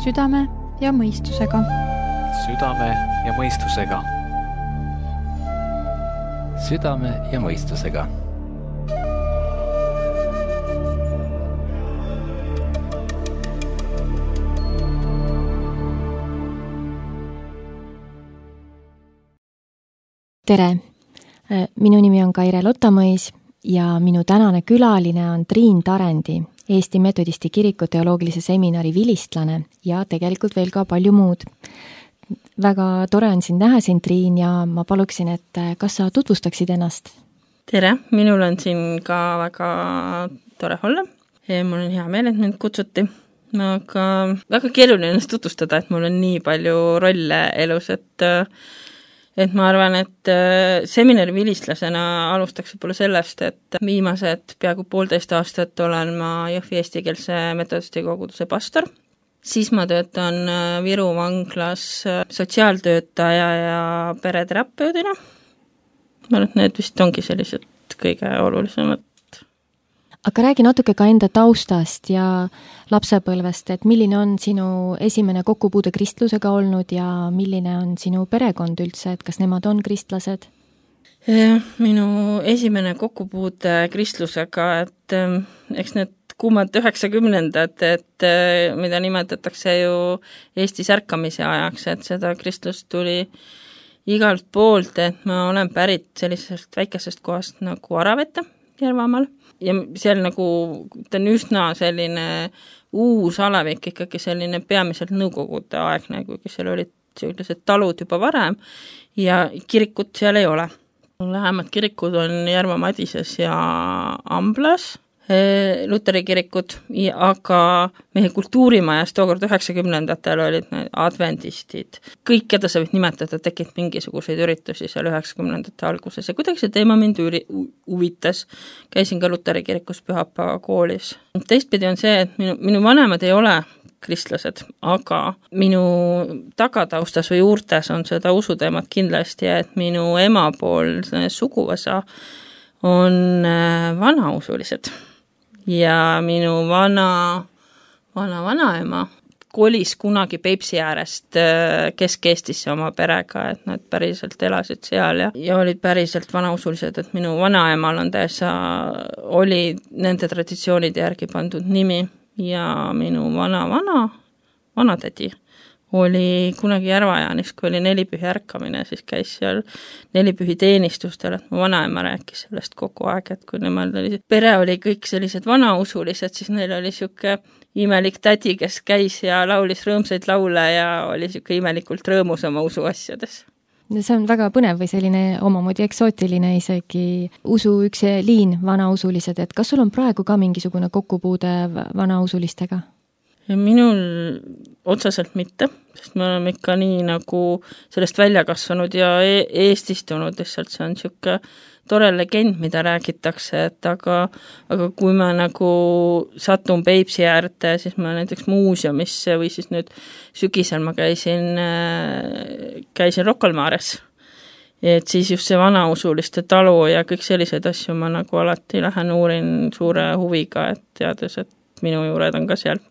Südame ja mõistusega. Südame ja mõistusega. Südame ja mõistusega. Tere! Minu nimi on Kaire Lotamõis ja minu tänane külaline on Triin Tarendi, Eesti Metodisti Kiriku teoloogilise seminari vilistlane ja tegelikult veel ka palju muud. Väga tore on sind näha siin, Triin, ja ma paluksin, et kas sa tutvustaksid ennast? Tere! Minul on siin ka väga tore olla. Mul on hea meel, et mind kutsuti. Aga väga keeruline ennast tutvustada, et mul on nii palju rolle elus, et ma arvan, et seminari vilistlasena alustaks võib-olla sellest, et viimased peaaegu 1,5 aastat olen ma Jõhvi eestikeelse metodisti koguduse pastor. Siis ma töötan Viru vanglas sotsiaaltöötaja ja pereterapeudina. Ma arvan, et need vist ongi sellised kõige olulisemad. Aga räägi natuke ka enda taustast ja lapsepõlvest, et milline on sinu esimene kokkupuude kristlusega olnud ja milline on sinu perekond üldse, et kas nemad on kristlased? Minu esimene kokkupuude kristlusega, et eks need kuumad 90-ndad, et mida nimetatakse ju Eesti särkamise ajaks, et seda kristlust tuli igalt poolt, et ma olen pärit sellisest väikesest kohast nagu Aravete Järvamaal. Ja seal nagu, ta on üsna selline uus alevik, ikkagi selline peamiselt nõukogude aegne, kuigi seal olid sellised talud juba varem ja kirikut seal ei ole. Lähemad kirikud on Järva Madises ja Amblas, Luteri kirikud, aga meie kultuurimajas tookord 90-ndatel olid need adventistid. Kõik, keda sa võid nimetada, tekib mingisuguseid üritusi seal 90-ndate alguses ja kuidagi see teema mind huvitas. Käisin ka Luteri kirikus Pühapäeva koolis. Teistpidi on see, et minu vanemad ei ole kristlased, aga minu tagataustas või juurtes on seda usuteemat kindlasti, et minu emapoolne suguvõsa on vanausulised. Ja minu vanaema kolis kunagi Peipsi äärest Kesk-Eestisse oma perega, et nad päriselt elasid seal ja olid päriselt vanausulised, et minu vanaemal on oli nende traditsioonide järgi pandud nimi ja minu vanatädi oli kunagi Järva-Jaanis, kui oli nelipühi ärkamine, siis käis seal nelipühi teenistustel, et mu vanaema rääkis sellest kogu aeg, et kui nemad pere oli kõik sellised vanausulised, siis neil oli siuke imelik tädi, kes käis ja laulis rõõmsaid laule ja oli siuke imelikult rõõmus oma usuasjades. See on väga põnev või selline omamoodi eksootiline isegi usu üks liin, vanausulised, et kas sul on praegu ka mingisugune kokkupuude vanausulistega? Minul otseselt mitte, sest me oleme ikka nii nagu sellest välja kasvanud ja eestistunud, lihtsalt see on siuke tore legend, mida räägitakse, et aga kui ma nagu satun Peipsi äärde, siis ma näiteks muuseumisse või siis nüüd sügisel ma käisin Rocca al Mares. Et siis just see vanausuliste talu ja kõik sellised asju ma nagu alati lähen uurin suure huviga, et teades, et minu juured on ka seal.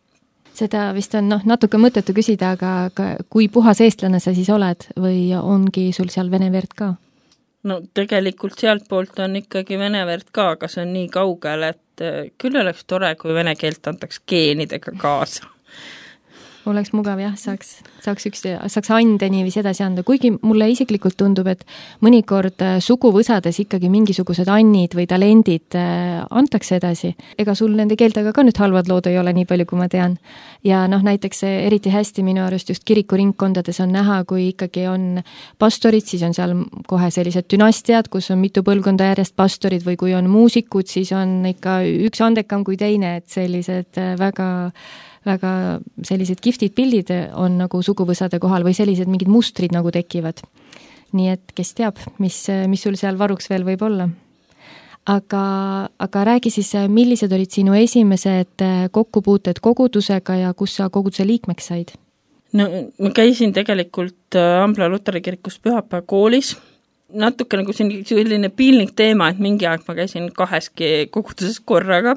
Seda vist on natuke mõttetu küsida, aga kui puhas eestlane sa siis oled või ongi sul seal vene verd ka? No tegelikult sealt poolt on ikkagi vene verd ka, aga see on nii kaugel, et küll oleks tore, kui vene keelt antaks geenidega kaasa. Oleks mugav, jah, saaks ande niiviisi edasi anda, kuigi mulle isiklikult tundub, et mõnikord suguvõsades ikkagi mingisugused annid või talendid antakse edasi. Ega sul nende keeltega ka nüüd halvad lood ei ole nii palju, kui ma tean. Ja näiteks eriti hästi minu arust just kirikuringkondades on näha, kui ikkagi on pastorid, siis on seal kohe sellised dünastiad, kus on mitu põlvkonda järjest pastorid või kui on muusikud, siis on ikka üks andekam kui teine, et sellised väga sellised kihvtid pildid on nagu suguvõsade kohal või sellised mingid mustrid nagu tekivad. Nii et kes teab, mis sul seal varuks veel võib olla. Aga räägi siis, millised olid sinu esimesed kokkupuuted kogudusega ja kus sa koguduse liikmeks said? No, ma käisin tegelikult Ambla Luteri kirikus Pühapäeva koolis. Natuke nagu selline piinlik teema, et mingi aeg ma käisin 2 koguduses korraga.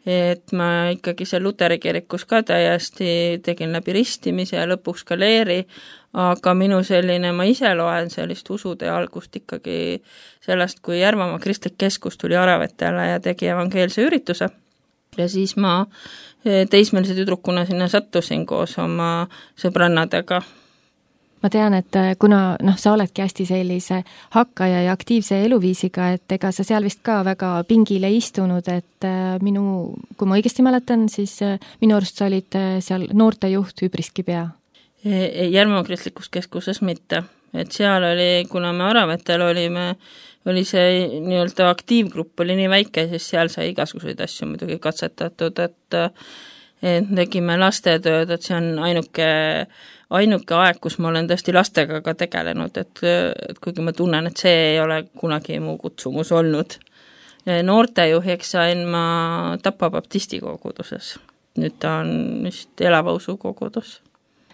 et ma ikkagi seal Luteri kirikus ka täiesti tegin läbi ristimise ja lõpuks ka leeri, aga minu selline, ma ise loen sellist usude algust ikkagi sellest, kui Järvamaa Kristlik Keskus tuli Aravetele ja tegi evangeelse ürituse. Ja siis ma teismelise tüdrukuna sinna sattusin koos oma sõbrannadega. Ma tean, et kuna sa oledki hästi sellise hakkaja ja aktiivse eluviisiga, et ega sa seal vist ka väga pingile istunud, et kui ma õigesti mäletan, siis minu arust sa olid seal noortejuht üpriski pea. Järvamaa Kristlikus Keskuses mitte. Et seal oli, kuna me Aravetel oli see nii-öelda aktiivgrupp oli nii väike, siis seal sai igasuguseid asju muidugi katsetatud, et tegime lastetööd, et see on ainuke aeg, kus ma olen tõesti lastega ka tegelenud, et kuigi ma tunnen, et see ei ole kunagi mu kutsumus olnud. Noortejuhiks sain ma Tapa baptisti koguduses. Nüüd ta on vist elava usu kogudus.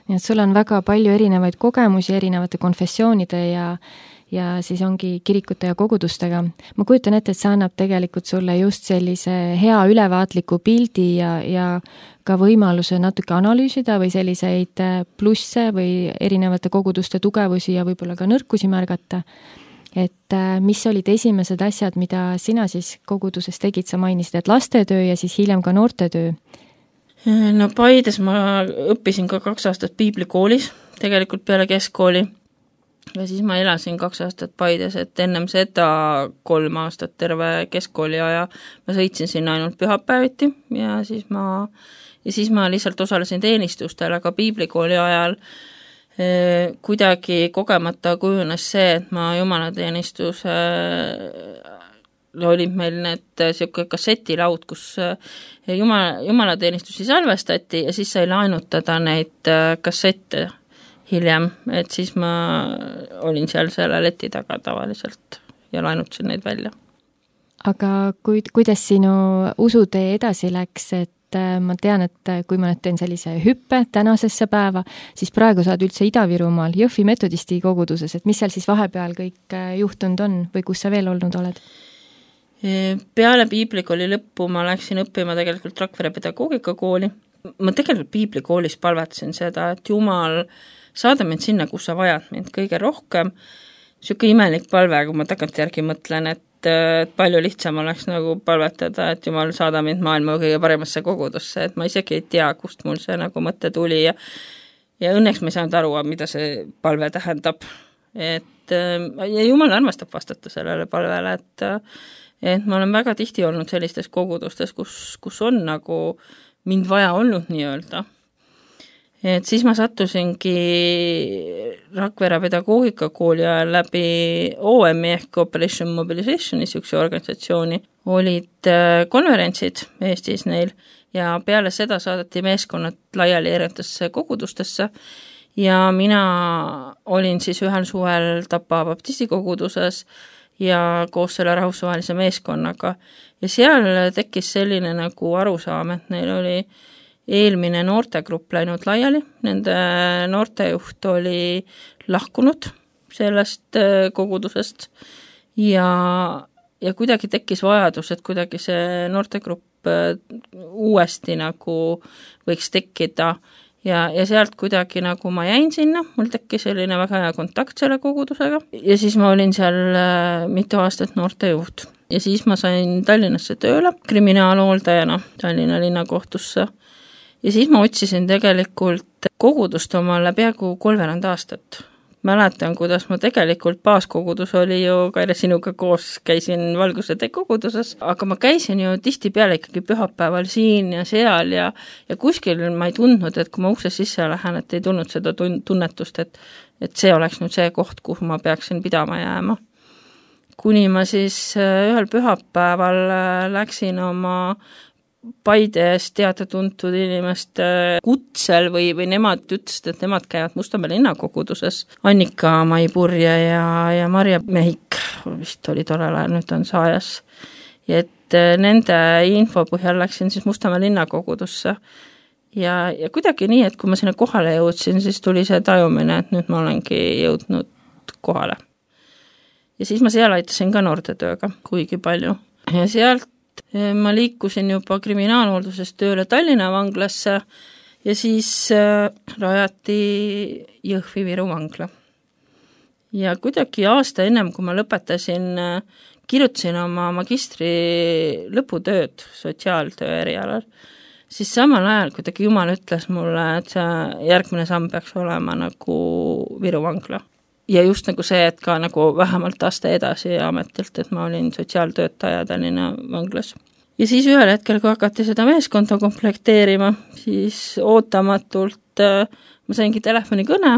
Nii et sul on väga palju erinevaid kogemusi erinevate konfessioonide ja siis ongi kirikute ja kogudustega. Ma kujutan ette, et see annab tegelikult sulle just sellise hea ülevaatliku pildi ja ka võimaluse natuke analüüsida või selliseid plusse või erinevate koguduste tugevusi ja võib-olla ka nõrkusi märgata. Et mis olid esimesed asjad, mida sina siis koguduses tegid, sa mainisid, et lastetöö ja siis hiljem ka noortetöö? No Paides ma õppisin ka 2 aastat piiblikoolis, tegelikult peale keskkooli. Ja siis ma elasin 2 aastat Paides, et ennem seda 3 aastat terve keskkooli aja ma sõitsin sinna ainult pühapäeviti ja siis ma lihtsalt osalesin teenistustel, aga piiblikooli ajal kuidagi kogemata kujunes see, et ma jumalateenistuse olid meil need siuke kassetilaud, kus jumalateenistusi salvestati ja siis sai laenutada neid kassette hiljem, et siis ma olin seal selle leti taga tavaliselt ja laenutasin neid välja. Aga kuidas sinu usutee edasi läks, et ma tean, et kui ma nüüd teen sellise hüppe tänasesse päeva, siis praegu saad üldse Ida-Virumaal Jõhvi metodisti koguduses, et mis seal siis vahepeal kõik juhtunud on või kus sa veel olnud oled? Peale piiblikooli lõppu ma läksin õppima tegelikult Rakvere pedagoogikakooli. Ma tegelikult piiblikoolis palvetasin seda, et Jumal saada mind sinna, kus sa vajad mind kõige rohkem. Siuke imelik palve, kui ma tagantjärgi mõtlen, et palju lihtsam oleks nagu palvetada, et Jumal saada mind maailma kõige paremasse kogudusse, et ma isegi ei tea, kust mul see nagu mõte tuli ja õnneks ma ei saanud aru, mida see palve tähendab. Ja Jumal armastab vastata sellele palvele, et ma olen väga tihti olnud sellistes kogudustes, kus on nagu mind vaja olnud nii-öelda. Et siis ma sattusingi Rakvere pedagoogikakooli ajal läbi OMI ehk Operation Mobilizationi siukse organisatsiooni. Olid konverentsid Eestis neil ja peale seda saadeti meeskonnad laiali erinevatesse kogudustesse ja mina olin siis ühel suvel Tapa baptisti koguduses ja koos selle rahvusvahelise meeskonnaga. Ja seal tekkis selline nagu arusaam, et neil oli eelmine noortegrupp läinud laiali, nende noortejuht oli lahkunud sellest kogudusest ja kuidagi tekkis vajadus, et kuidagi see noortegrupp uuesti nagu võiks tekkida ja sealt kuidagi nagu ma jäin sinna, mul tekkis selline väga hea kontakt selle kogudusega ja siis ma olin seal mitu aastat noortejuht ja siis ma sain Tallinnasse tööle kriminaalhooldajana Tallinna linnakohtusse ja siis ma otsisin tegelikult kogudust omale peaaegu 3 aastat. Mäletan, kuidas ma tegelikult baaskogudus oli ju Kaire sinuga koos, käisin Valguse tee koguduses, aga ma käisin ju tihtipeale ikkagi pühapäeval siin ja seal ja kuskil ma ei tundnud, et kui ma ukse sisse lähen, et ei tulnud seda tunnetust, et see oleks nüüd see koht, kuhu ma peaksin pidama jääma. Kuni ma siis ühel pühapäeval läksin oma Paides teada-tuntud inimeste kutsel või nemad ütlesid, et nemad käivad Mustamäe linnakoguduses. Annika Maipurje ja Marja Mehik vist oli tollel ajal, nüüd on saajas. Ja et nende info põhjal läksin siis Mustamäe linnakogudusse. Ja kuidagi nii, et kui ma sinna kohale jõudsin, siis tuli see tajumine, et nüüd ma olengi jõudnud kohale. Ja siis ma seal aitasin ka noortetööga kuigi palju. Ja sealt ma liikusin juba kriminaalhooldusest tööle Tallinna vanglasse ja siis rajati Jõhvi Viru vangla. Ja kuidagi aasta ennem, kui ma lõpetasin, kirjutasin oma magistri lõputööd sotsiaaltöö erialal, siis samal ajal kuidagi Jumal ütles mulle, et see järgmine samm peaks olema nagu Viru vangla. Ja just nagu see, et ka nagu vähemalt aasta edasi ametilt, et ma olin sotsiaaltöötaja Tallinna vanglas. Ja siis ühel hetkel, kui hakati seda meeskonda komplekteerima, siis ootamatult ma saingi telefonikõne,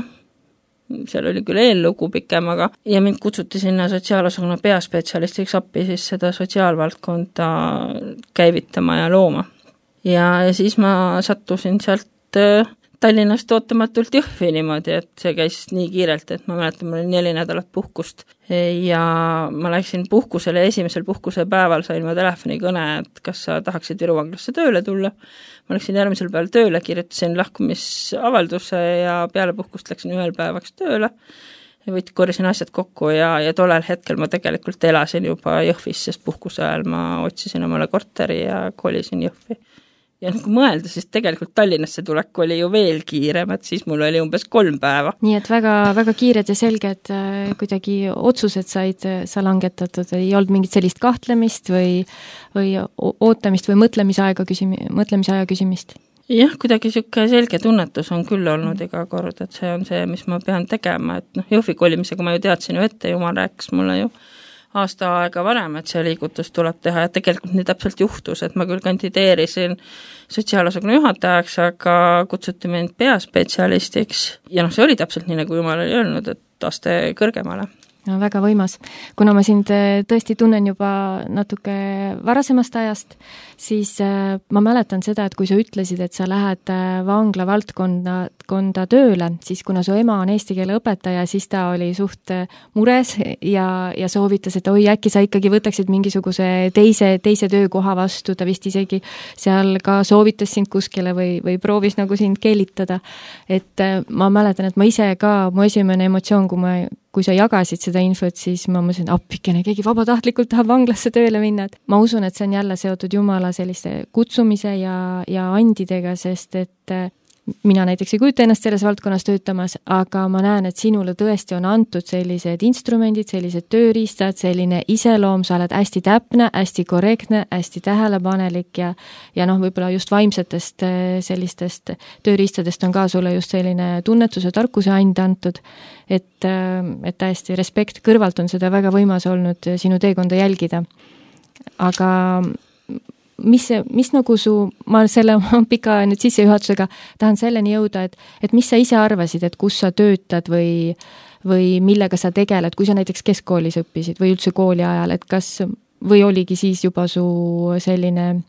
seal oli küll eellugu pikem, aga ja mind kutsuti sinna sotsiaalosakonna peaspetsialistiks appi siis seda sotsiaalvaldkonda käivitama ja looma. Ja siis ma sattusin sealt Tallinnast ootamatult Jõhvi niimoodi, et see käis nii kiirelt, et ma mäletan, mul oli 4 nädalat puhkust ja ma läksin puhkusele, esimesel puhkuse päeval sain ma telefonikõne, et kas sa tahaksid Viru vanglasse tööle tulla. Ma läksin järgmisel päeval tööle, kirjutasin lahkumisavalduse ja peale puhkust läksin 1 päevaks tööle ja korjasin asjad kokku ja tollel hetkel ma tegelikult elasin juba Jõhvis, sest puhkuse ajal ma otsisin omale korteri ja kolisin Jõhvi. Ja nagu mõelda, siis tegelikult Tallinnasse tulek oli ju veel kiirem, et siis mul oli umbes 3 päeva. Nii et väga, väga kiired ja selged kuidagi otsused said sa langetatud, ei olnud mingit sellist kahtlemist või ootamist või mõtlemisaja küsimist? Jah, kuidagi siuke selge tunnetus on küll olnud iga kord, et see on see, mis ma pean tegema, et Jõhvi kolimisega ma ju teadsin ju ette, Jumal rääkis mulle ju aasta aega varem, et see liigutus tuleb teha ja tegelikult nii täpselt juhtus, et ma küll kandideerisin sotsiaalosakonna juhatajaks, aga kutsuti mind peaspetsialistiks ja see oli täpselt nii, nagu Jumal oli öelnud, et aste kõrgemale. No, väga võimas. Kuna ma sind tõesti tunnen juba natuke varasemast ajast, siis ma mäletan seda, et kui sa ütlesid, et sa lähed vangla valdkonda tööle, siis kuna su ema on eesti keele õpetaja, siis ta oli suht mures ja soovitas, et oi, äkki sa ikkagi võtaksid mingisuguse teise töökoha vastu, ta vist isegi seal ka soovitas sind kuskile või proovis nagu sind keelitada. Et ma mäletan, et ma ise ka, mu esimene emotsioon, kui sa jagasid seda infot, siis ma mõtlesin, appikene, keegi vabatahtlikult tahab vanglasse tööle minna. Ma usun, et see on jälle seotud Jumala selliste kutsumise ja andidega, sest et mina näiteks ei kujuta ennast selles valdkonnas töötamas, aga ma näen, et sinule tõesti on antud sellised instrumendid, sellised tööriistad, selline iseloom, sa oled hästi täpne, hästi korrektne, hästi tähelepanelik ja võib-olla just vaimsetest sellistest tööriistadest on ka sulle just selline tunnetuse, tarkuse and antud, et täiesti respekt, kõrvalt on seda väga võimas olnud sinu teekonda jälgida. Aga mis nagu ma selle pika nüüd sissejuhatusega tahan selleni jõuda, et mis sa ise arvasid, et kus sa töötad või millega sa tegeled, kui sa näiteks keskkoolis õppisid või üldse kooli ajal, et või oligi siis juba su selline,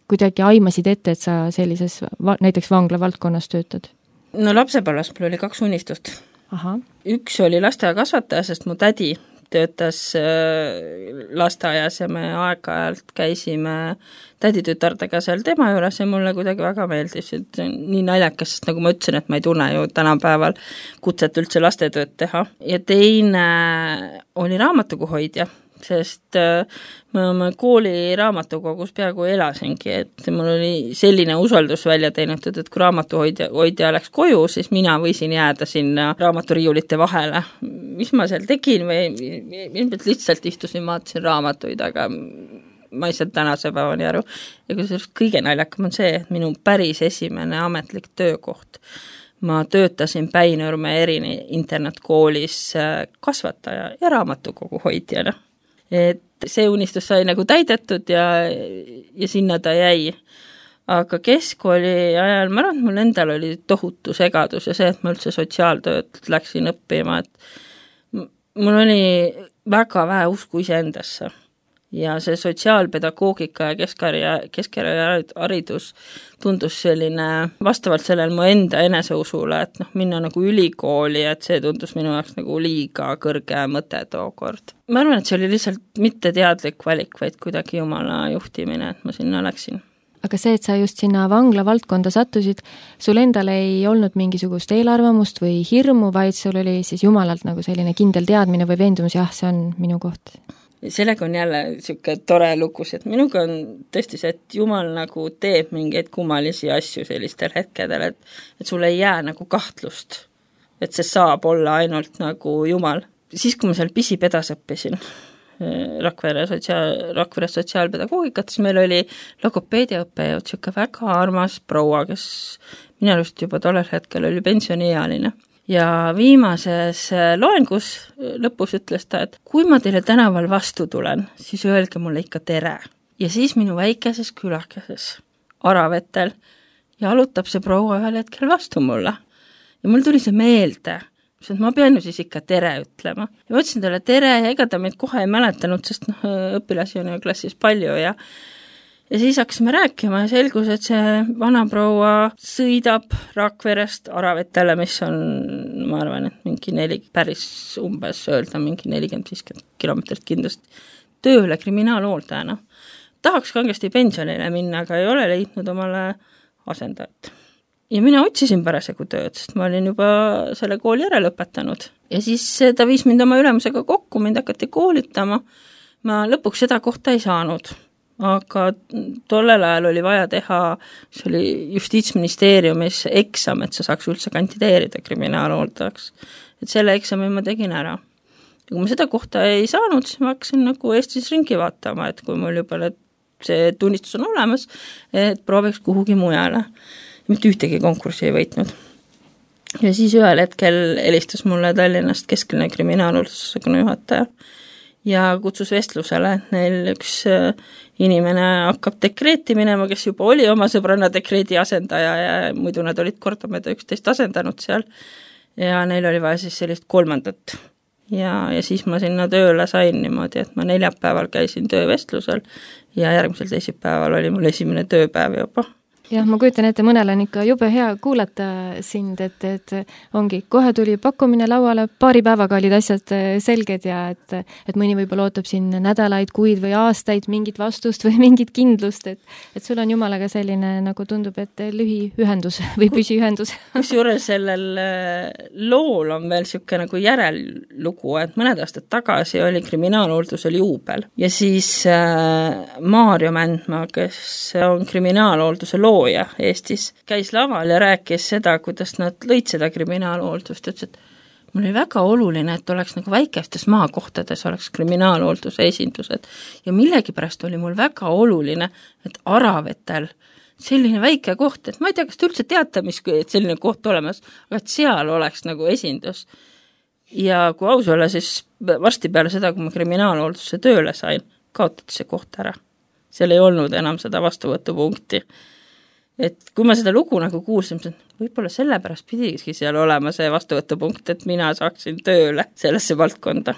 kuidagi aimasid ette, et sa sellises näiteks vangla valdkonnas töötad? No lapsepõlves mul oli 2 unistust. Aha. Üks oli lasteaiakasvataja, sest mu tädi töötas lasteaias ja me aeg-ajalt käisime täditütardega seal tema juures ja mulle kuidagi väga meeldis, et nii naljakas, sest nagu ma ütlesin, et ma ei tunne ju tänapäeval kutset üldse lastetööd teha. Ja teine oli raamatukoguhoidja, sest ma kooli raamatukogus peaaegu elasingi, et mul oli selline usaldus välja teenitud, et kui raamatuhoidja läks koju, siis mina võisin jääda sinna raamaturiiulite vahele. Mis ma seal tegin või lihtsalt istusin, vaatasin raamatuid, aga ma ei saa tänase päevani aru. Ja kui kõige naljakam on see, et minu päris esimene ametlik töökoht, ma töötasin Päinurme internatkoolis kasvataja ja raamatukoguhoidjana. Et see unistus sai nagu täidetud ja sinna ta jäi. Aga keskkooli ajal, ma arvan, et mul endal oli tohutu segadus ja see, et ma üldse sotsiaaltööd läksin õppima, et mul oli väga vähe usku iseendasse. Ja see sotsiaalpedagoogika ja keskharidus tundus selline vastavalt sellele mu enda eneseusule, et minna nagu ülikooli, et see tundus minu jaoks nagu liiga kõrge mõte tookord. Ma arvan, et see oli lihtsalt mitte teadlik valik, vaid kuidagi Jumala juhtimine, et ma sinna läksin. Aga see, et sa just sinna vangla valdkonda sattusid, sul endal ei olnud mingisugust eelarvamust või hirmu, vaid sul oli siis Jumalalt nagu selline kindel teadmine või veendumus, jah, see on minu koht? sellega on jälle niisugune tore lugus, et minuga on tõesti see, et Jumal nagu teeb mingeid kummalisi asju sellistel hetkedel, et sul ei jää nagu kahtlust, et see saab olla ainult nagu Jumal. Siis, kui ma seal pisipedas õppisin, Rakvere sotsiaalpedagoogikat, siis meil oli logopeediaõppejõud, niisugune väga armas proua, kes minu arust juba tollel hetkel oli pensioniealine. Ja viimases loengus lõpus ütles ta, et kui ma teile tänaval vastu tulen, siis öelge mulle ikka tere. Ja siis minu väikeses külakeses Aravetel jalutab see proua ühel hetkel vastu mulle. Ja mul tuli see meelde, et ma pean ju siis ikka tere ütlema. Ja ma ütlesin talle tere ja ega ta meid kohe ei mäletanud, sest õpilasi on ju klassis palju ja siis hakkasime rääkima ja selgus, et see vana proua sõidab Rakverest Aravetele, mis on, ma arvan, et mingi päris umbes öelda, mingi 40-50 kilomeetrit kindlasti tööle kriminaalhooldajana. Tahaks kangesti pensionile minna, aga ei ole leidnud omale asendajat. Ja mina otsisin parasjagu tööd, sest ma olin juba selle kooli järele õpetanud. Ja siis ta viis mind oma ülemusega kokku, mind hakati koolitama. Ma lõpuks seda kohta ei saanud, aga tollel ajal oli vaja teha, see oli Justiitsministeeriumis eksam, et sa saaks üldse kandideerida kriminaalhooldajaks. Et selle eksami ma tegin ära. Ja kui ma seda kohta ei saanud, siis ma hakkasin nagu Eestis ringi vaatama, et kui mul juba see tunnistus on olemas, et prooviks kuhugi mujale. Mitte ühtegi konkurssi ei võitnud. Ja siis ühel hetkel helistas mulle Tallinnast keskline kriminaalhooldusosakonna juhataja ja kutsus vestlusele, et neil üks inimene hakkab dekreeti minema, kes juba oli oma sõbranna dekreedi asendaja ja muidu nad olid kordamööda 11 asendanud seal ja neil oli vaja siis sellist kolmandat. Ja siis ma sinna tööle sain niimoodi, et ma neljapäeval käisin töövestlusel ja järgmisel teisipäeval oli mul esimene tööpäev juba. Jah, ma kujutan ette, mõnel on ikka jube hea kuulata sind, et ongi, kohe tuli pakkumine lauale, paari päevaga olid asjad selged ja et mõni võib-olla ootab siin nädalaid, kuid või aastaid mingit vastust või mingit kindlust, et sul on Jumalaga selline, nagu tundub, et lühiühendus või püsiühendus. Kusjuures sellel lool on veel niisugune nagu järellugu, et mõned aastad tagasi oli kriminaalhooldusel juubel ja siis Maarjo Mändmaa, kes on kriminaalhoolduse loo Eestis, käis laval ja rääkis seda, kuidas nad lõid seda kriminaalhooldust, ütles, et mul oli väga oluline, et oleks nagu väikestes maakohtades oleks kriminaalhoolduse esindused ja millegipärast oli mul väga oluline, et Aravetel selline väike koht, et ma ei tea, kas te üldse teate, et selline koht olemas, aga et seal oleks nagu esindus. Ja kui aus olla, siis varsti peale seda, kui ma kriminaalhooldusse tööle sain, kaotati see koht ära. Seal ei olnud enam seda vastuvõtupunkti. Et kui ma seda lugu nagu kuulsin, võib-olla sellepärast pidigi seal olema see vastuvõtupunkt, et mina saaksin tööle sellesse valdkonda.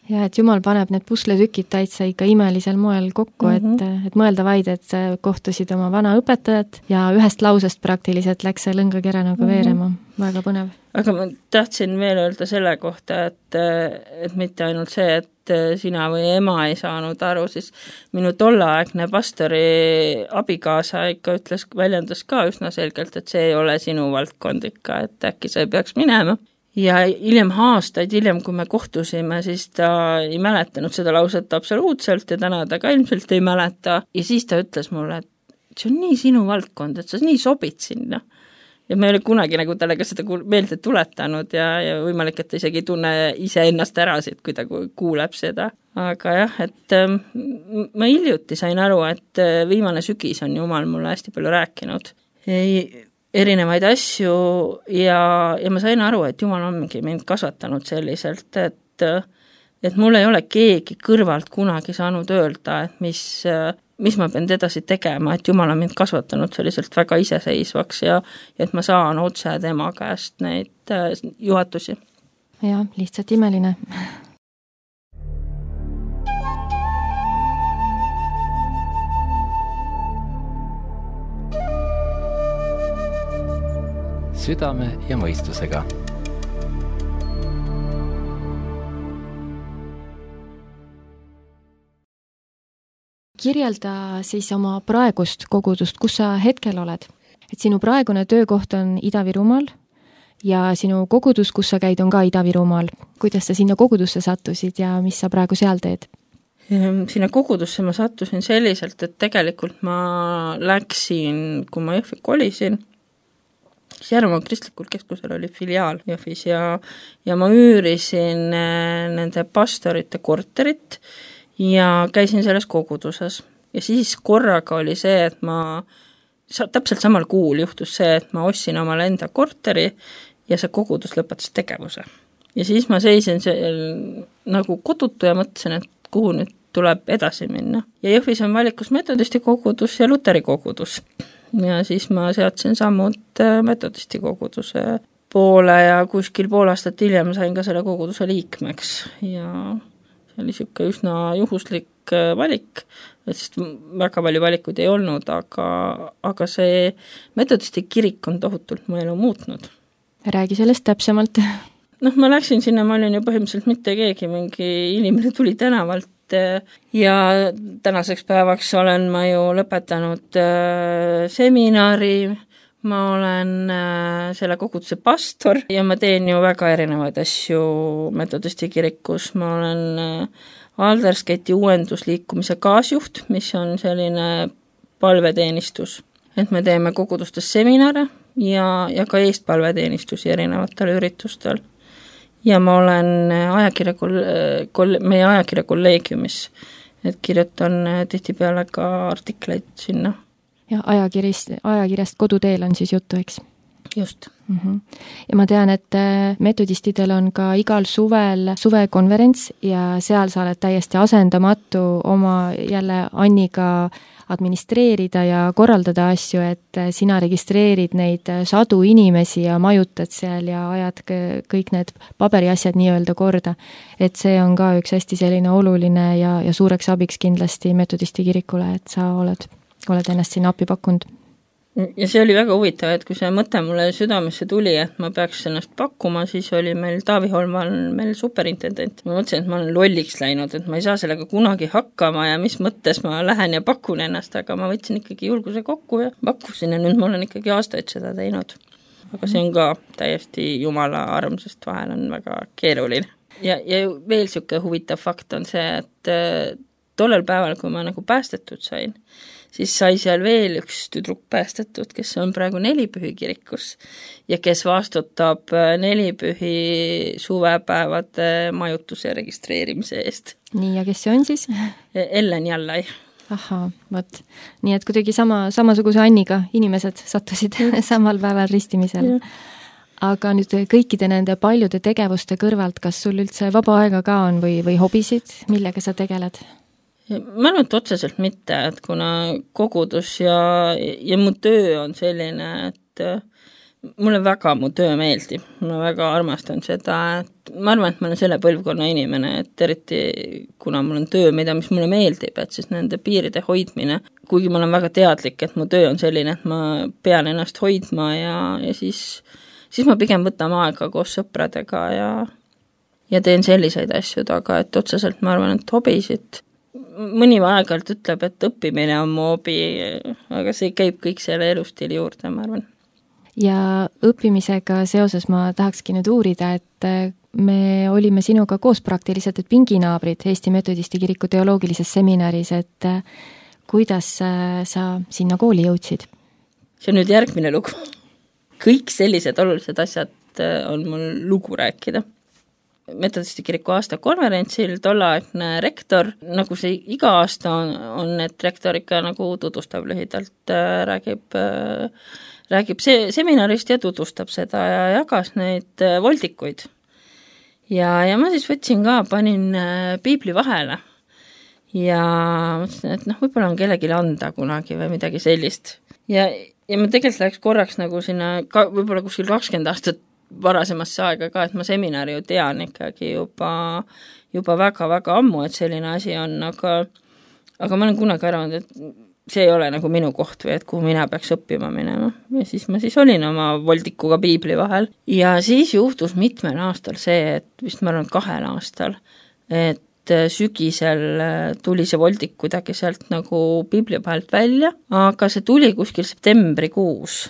Ja, et Jumal paneb need pusletükid täitsa ikka imelisel moel kokku, et mõelda vaid, et kohtusid oma vana õpetajat ja ühest lausest praktiliselt läks see lõngakera nagu veerema. Väga põnev. Aga ma tahtsin veel öelda selle kohta, et mitte ainult see, et sina või ema ei saanud aru, siis minu tollaaegne pastori abikaasa ikka väljendas ka üsna selgelt, et see ei ole sinu valdkond ikka, et äkki sa ei peaks minema. Ja aastaid hiljem, kui me kohtusime, siis ta ei mäletanud seda lauset absoluutselt ja täna ta ka ilmselt ei mäleta. Ja siis ta ütles mulle, et see on nii sinu valdkond, et sa nii sobid sinna. Ja me ei ole kunagi nagu talle ka seda meelde tuletanud ja võimalik, et ta isegi ei tunne ise ennast ära siit, kui ta kuuleb seda. Aga jah, et ma hiljuti sain aru, et viimane sügis on Jumal mulle hästi palju rääkinud. Erinevaid asju ja ma sain aru, et Jumal ongi mind kasvatanud selliselt, et mul ei ole keegi kõrvalt kunagi saanud öelda, et mis ma pean edasi tegema, et Jumal on mind kasvatanud selliselt väga iseseisvaks ja et ma saan otse tema käest neid juhatusi. Ja, lihtsalt imeline. Südame ja mõistusega. Kirjelda siis oma praegust kogudust, kus sa hetkel oled. Et sinu praegune töökoht on Ida-Virumaal ja sinu kogudus, kus sa käid, on ka Ida-Virumaal. Kuidas sa sinna kogudusse sattusid ja mis sa praegu seal teed? sinna kogudusse ma sattusin selliselt, et tegelikult ma läksin, kui ma Jõhvi kolisin, siis Järvamaa kristlikul keskusel oli filiaal Jõhvis ja ma üürisin nende pastorite korterit ja käisin selles koguduses. Ja siis korraga oli see, et täpselt samal kuul juhtus see, et ma ostsin omale enda korteri ja see kogudus lõpetas tegevuse. Ja siis ma seisin seal nagu kodutu ja mõtlesin, et kuhu nüüd tuleb edasi minna. Ja Jõhvis on valikus metodisti kogudus ja luteri kogudus. Ja siis ma seadsin sammud metodisti koguduse poole ja kuskil pool aastat hiljem sain ka selle koguduse liikmeks. Ja see oli siuke üsna juhuslik valik, sest väga palju valikuid ei olnud, aga see metodisti kirik on tohutult mu elu muutnud. Räägi sellest täpsemalt. Ma läksin sinna, ma olin ju põhimõtteliselt mitte keegi, mingi inimene tuli tänavalt ja tänaseks päevaks olen ma ju lõpetanud seminari, ma olen selle koguduse pastor ja ma teen ju väga erinevaid asju metodisti kirikus, ma olen Aldersketi uuendusliikumise kaasjuht, mis on selline palveteenistus, et me teeme kogudustes seminare ja ka eestpalveteenistusi erinevatel üritustel. Ja ma olen meie ajakirja kolleegiumis, et kirjutan tihtipeale ka artikleid sinna. Ja ajakirjast Koduteel on siis juttu, eks? Just. Ja ma tean, et metodistidel on ka igal suvel suvekonverents ja seal sa oled täiesti asendamatu oma jälle Anniga administreerida ja korraldada asju, et sina registreerid neid sadu inimesi ja majutad seal ja ajad kõik need paberiasjad nii-öelda korda. Et see on ka üks hästi selline oluline ja suureks abiks kindlasti metodisti kirikule, et sa oled ennast sinna appi pakkunud. Ja see oli väga huvitav, et kui see mõte mulle südamesse tuli, et ma peaks ennast pakkuma, siis oli meil Taavi Holman meil superintendent. Ma mõtlesin, et ma olen lolliks läinud, et ma ei saa sellega kunagi hakkama ja mis mõttes ma lähen ja pakun ennast, aga ma võtsin ikkagi julguse kokku ja pakkusin ja nüüd ma olen ikkagi aastaid seda teinud. Aga see on ka täiesti jumala armsast vahel on väga keeruline. Ja veel siuke huvitav fakt on see, et tollel päeval, kui ma nagu päästetud sain, siis sai seal veel üks tüdruk päästetud, kes on praegu Nelipühi kirikus ja kes vastutab Nelipühi suvepäevade majutuse registreerimise eest. Nii, ja kes see on siis? Ellen Jallai. Ahaa, võt. Nii, et kuidagi samasuguse Anniga inimesed sattusid samal päeval ristimisel. Aga nüüd kõikide nende paljude tegevuste kõrvalt, kas sul üldse vaba aega ka on või hobisid, millega sa tegeled? Ma arvan, et otseselt mitte, et kuna kogudus ja mu töö on selline, et mulle väga mu töö meeldib, ma väga armastan seda, et ma arvan, et ma olen selle põlvkonna inimene, et eriti kuna mul on töö, mis mulle meeldib, et siis nende piiride hoidmine, kuigi ma olen väga teadlik, et mu töö on selline, et ma pean ennast hoidma ja siis ma pigem võtan aega koos sõpradega ja teen selliseid asju, aga et otseselt ma arvan, et hobisid mõni aeg-ajalt ütleb, et õppimine on mu hobi, aga see käib kõik selle elustiili juurde, ma arvan. Ja õppimisega seoses ma tahakski nüüd uurida, et me olime sinuga koos praktiliselt, et pinginaabrid Eesti Metodisti kiriku teoloogilises seminaris, et kuidas sa sinna kooli jõudsid? See on nüüd järgmine lugu. Kõik sellised olulised asjad on mul lugu rääkida. Metodisti kiriku aastakonverentsil tollaegne rektor, nagu see iga aasta on, et rektor ikka nagu tutvustab lühidalt, räägib seminarist ja tutvustab seda ja jagas neid voldikuid. Ja ma siis võtsin ka, panin piibli vahele ja mõtlesin, et võib-olla on kellelegi anda kunagi või midagi sellist. Ja ma tegelikult läks korraks nagu sinna, võib-olla kuskil 20 aastat varasemasse aega ka, et ma seminari ju tean ikkagi juba väga-väga ammu, et selline asi on, aga ma olen kunagi arvanud, et see ei ole nagu minu koht või et kuhu mina peaks õppima minema. Ja siis ma olin oma voldikuga piibli vahel ja siis juhtus mitmel aastal see, et vist ma arvan 2 aastal, et sügisel tuli see voldik kuidagi sealt nagu piibli vahelt välja, aga see tuli kuskil septembrikuus.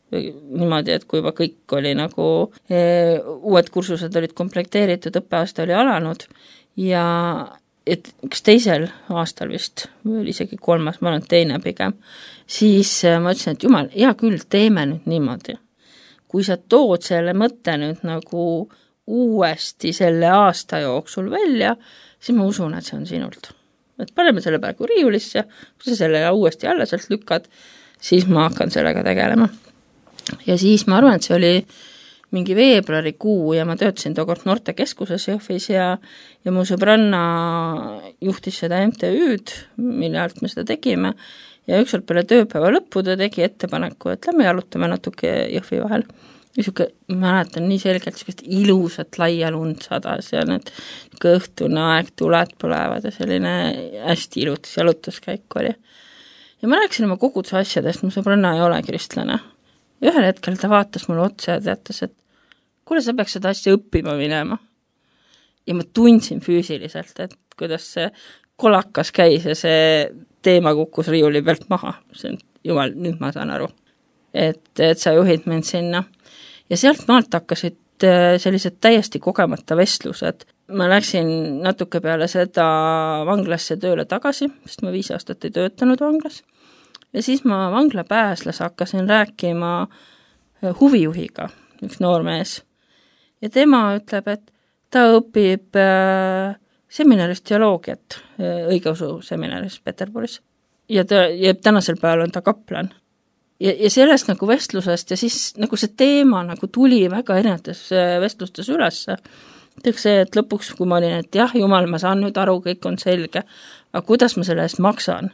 Niimoodi, et kui juba kõik oli nagu, uued kursused olid komplekteeritud, õppeaasta oli alanud ja et üks teisel aastal vist, või oli isegi 3, ma olen teine pigem, siis ma ütlesin, et jumal, hea küll, teeme nüüd niimoodi. Kui sa tood selle mõtte nüüd nagu uuesti selle aasta jooksul välja, siis ma usun, et see on sinult. Et paneme selle praegu riiulisse, kui sa selle uuesti jälle sealt lükkad, siis ma hakkan sellega tegelema. Ja siis ma arvan, et see oli mingi veebruarikuu ja ma töötasin tookord Noortekeskuses Jõhvis ja mu sõbranna juhtis seda MTÜ-d, mille alt me seda tegime ja ükskord peale tööpäeva lõppu ta tegi ettepaneku, et lähme jalutame natuke Jõhvi vahel. Niisuke, ma mäletan nii selgelt sellist ilusat laia lund sadas ja need õhtune aeg, tuled põlevad ja selline hästi ilutis jalutuskäik oli. Ja ma rääkisin oma koguduse asjadest, mu sõbranna ei ole kristlane. Ja ühel hetkel ta vaatas mulle otsa ja teatas, et kuule, sa peaks seda asja õppima minema. Ja ma tundsin füüsiliselt, et kuidas see kolakas käis ja see teema kukkus riiuli pealt maha. See on, jumal, nüüd ma saan aru, et sa juhid mind sinna. Ja sealt maalt hakkasid sellised täiesti kogemata vestlused. Ma läksin natuke peale seda vanglasse tööle tagasi, sest ma 5 aastat ei töötanud vanglas. Ja siis ma vangla pääslas hakkasin rääkima huvijuhiga, üks noormees. Ja tema ütleb, et ta õpib seminaris teoloogiat, õigeusu seminaris Peterburis. Ja tänasel päeval on ta kaplan. Ja sellest nagu vestlusest ja siis nagu see teema nagu tuli väga erinevates vestlustes ülesse. See, et lõpuks, kui ma olin, et jah, jumal, ma saan nüüd aru, kõik on selge, aga kuidas ma selle eest maksan?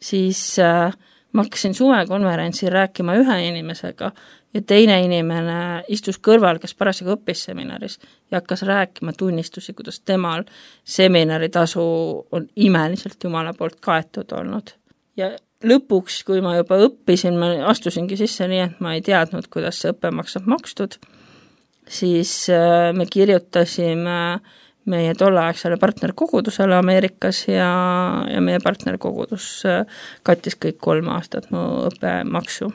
Siis ma hakkasin suvekonverentsil rääkima ühe inimesega ja teine inimene istus kõrval, kes parasjagu õppis seminaris ja hakkas rääkima tunnistusi, kuidas temal seminaritasu on imeliselt Jumala poolt kaetud olnud. Ja lõpuks, kui ma juba õppisin, ma astusingi sisse nii, et ma ei teadnud, kuidas see õppemaks on makstud, siis me kirjutasime meie tolleaegsele partnerkogudusele Ameerikas ja meie partnerkogudus kattis kõik 3 aastat mu õppemaksu.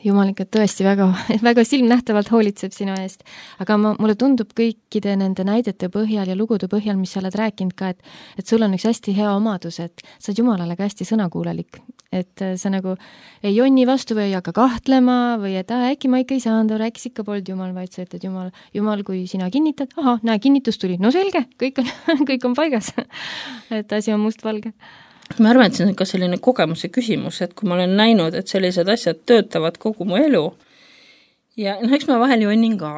Jumal ikka tõesti väga, väga silmnähtavalt hoolitseb sinu eest. Aga mulle tundub kõikide nende näidete põhjal ja lugude põhjal, mis sa oled rääkinud ka, et sul on üks hästi hea omadus, et sa oled Jumalale ka hästi sõnakuulelik. Et sa nagu ei jonni vastu või ei hakka kahtlema või et äkki ma ikka ei saanud, rääkis ikka polnud Jumal, vaid sa ütled Jumal, kui sina kinnitad, näe, kinnitus tuli, no selge, kõik on paigas. Et asi on mustvalge. Ma arvan, et see on ka selline kogemuse küsimus, et kui ma olen näinud, et sellised asjad töötavad kogu mu elu ja eks ma vahel jonnin ka.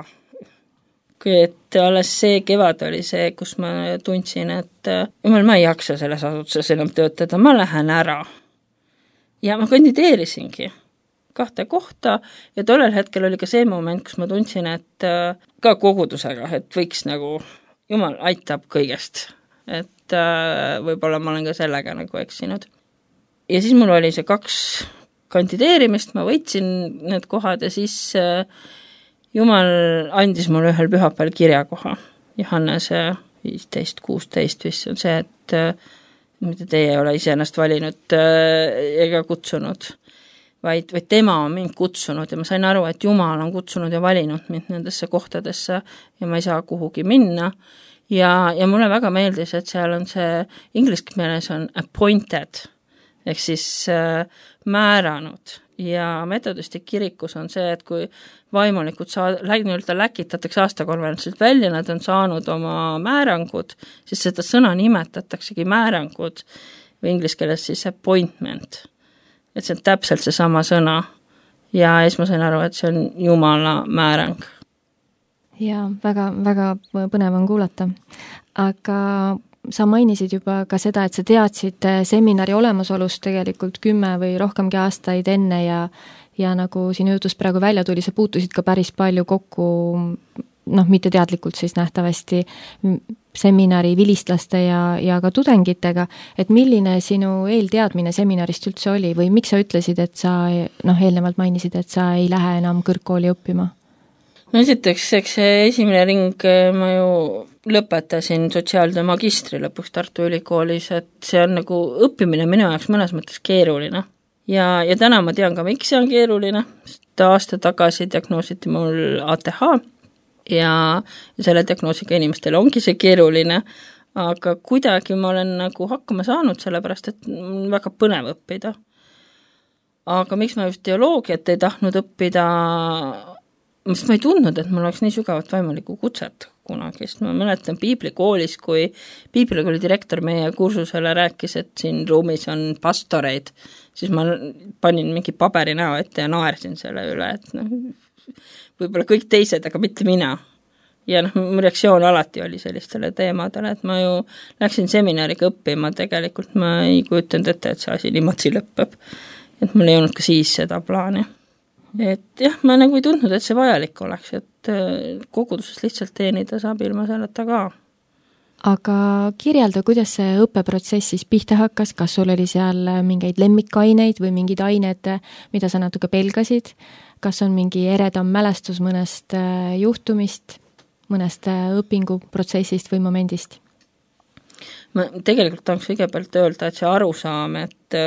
Et alles see kevad oli see, kus ma tundsin, et jumal, ma ei jaksa selles asutuses enam töötada, ma lähen ära. Ja ma kandideerisingi 2 kohta ja tollel hetkel oli ka see moment, kus ma tundsin, et ka kogudusega, et võiks nagu, jumal aitab kõigest, et võib-olla ma olen ka sellega nagu eksinud. Ja siis mul oli see 2 kandideerimist, ma võitsin need kohad ja siis Jumal andis mulle ühel pühapäeval kirjakoha. Johannese 15-16 vist on see, et mida teie ei ole ise ennast valinud ega kutsunud, vaid tema on mind kutsunud ja ma sain aru, et Jumal on kutsunud ja valinud mind nendesse kohtadesse ja ma ei saa kuhugi minna. Ja mulle väga meeldis, et seal on see, inglise keeles on appointed, ehk siis määranud ja metodisti kirikus on see, et kui vaimulikud läkitatakse aastakonverentsilt välja, nad on saanud oma määrangud, siis seda sõna nimetataksegi määrangud või inglise keeles siis appointment. Et see on täpselt see sama sõna ja siis ma sain aru, et see on Jumala määrang. Ja väga, väga põnev on kuulata. Aga sa mainisid juba ka seda, et sa teadsid seminari olemasolust tegelikult 10 või rohkemgi aastaid enne ja nagu sinu jutust praegu välja tuli, sa puutusid ka päris palju kokku, mitte teadlikult siis nähtavasti seminari vilistlaste ja ka tudengitega, et milline sinu eelteadmine seminarist üldse oli või miks sa ütlesid, et sa eelnevalt mainisid, et sa ei lähe enam kõrgkooli õppima? No esiteks, eks see esimene ring ma ju lõpetasin sotsiaaltöö magistri lõpuks Tartu Ülikoolis, et see on nagu õppimine minu jaoks mõnes mõttes keeruline. Ja täna ma tean ka, miks see on keeruline, sest aasta tagasi diagnoositi mul ATH ja selle diagnoosiga inimestel ongi see keeruline, aga kuidagi ma olen nagu hakkama saanud, sellepärast et väga põnev õppida. Aga miks ma just teoloogiat ei tahtnud õppida, sest ma ei tundnud, et mul oleks nii sügavat vaimulikku kutset kunagi, sest ma mäletan piiblikoolis, kui piiblikooli direktor meie kursusele rääkis, et siin ruumis on pastoreid, siis ma panin mingi paberi näo ette ja naersin selle üle, et võib-olla kõik teised, aga mitte mina. Ja mu reaktsioon alati oli sellistele teemadele, et ma ju läksin seminariga õppima, tegelikult ma ei kujutanud ette, et see asi niimoodi lõppeb. Et mul ei olnud ka siis seda plaani. Et jah, ma nagu ei tundnud, et see vajalik oleks, et koguduses lihtsalt teenida saab ilma selleta ka. Aga kirjelda, kuidas see õppeprotsess siis pihta hakkas, kas sul oli seal mingeid lemmikaineid või mingid ained, mida sa natuke pelgasid, kas on mingi eredam mälestus mõnest juhtumist, mõnest õpinguprotsessist või momendist? Ma tegelikult tahaks kõigepealt öelda, et see arusaam, et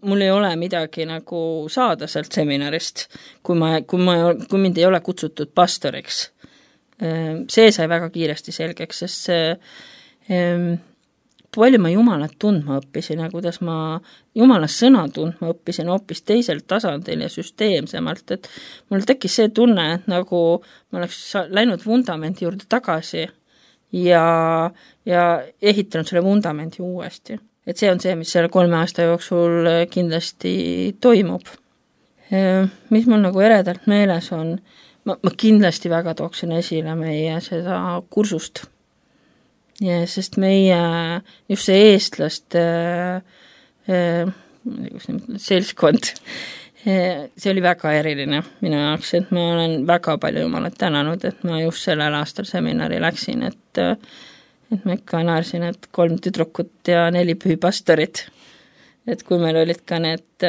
mul ei ole midagi nagu saada sealt seminarist, kui mind ei ole kutsutud pastoriks. See sai väga kiiresti selgeks, sest palju ma Jumalat tundma õppisin ja kuidas ma Jumala sõna tundma õppisin hoopis teisel tasandil ja süsteemsemalt, et mul tekkis see tunne, et nagu ma oleks läinud vundamendi juurde tagasi ja ehitanud selle vundamendi uuesti. Et see on see, mis selle 3 aasta jooksul kindlasti toimub. Mis mul nagu eredalt meeles on, ma kindlasti väga tooksin esile meie seda kursust. Ja, sest meie, just see eestlaste seltskond, see oli väga eriline minu jaoks, et ma olen väga palju Jumalat tänanud, et ma just sellel aastal seminari läksin, et ma ikka naersin, et 3 tüdrukut ja 4 pühipastorit. Et kui meil olid ka need,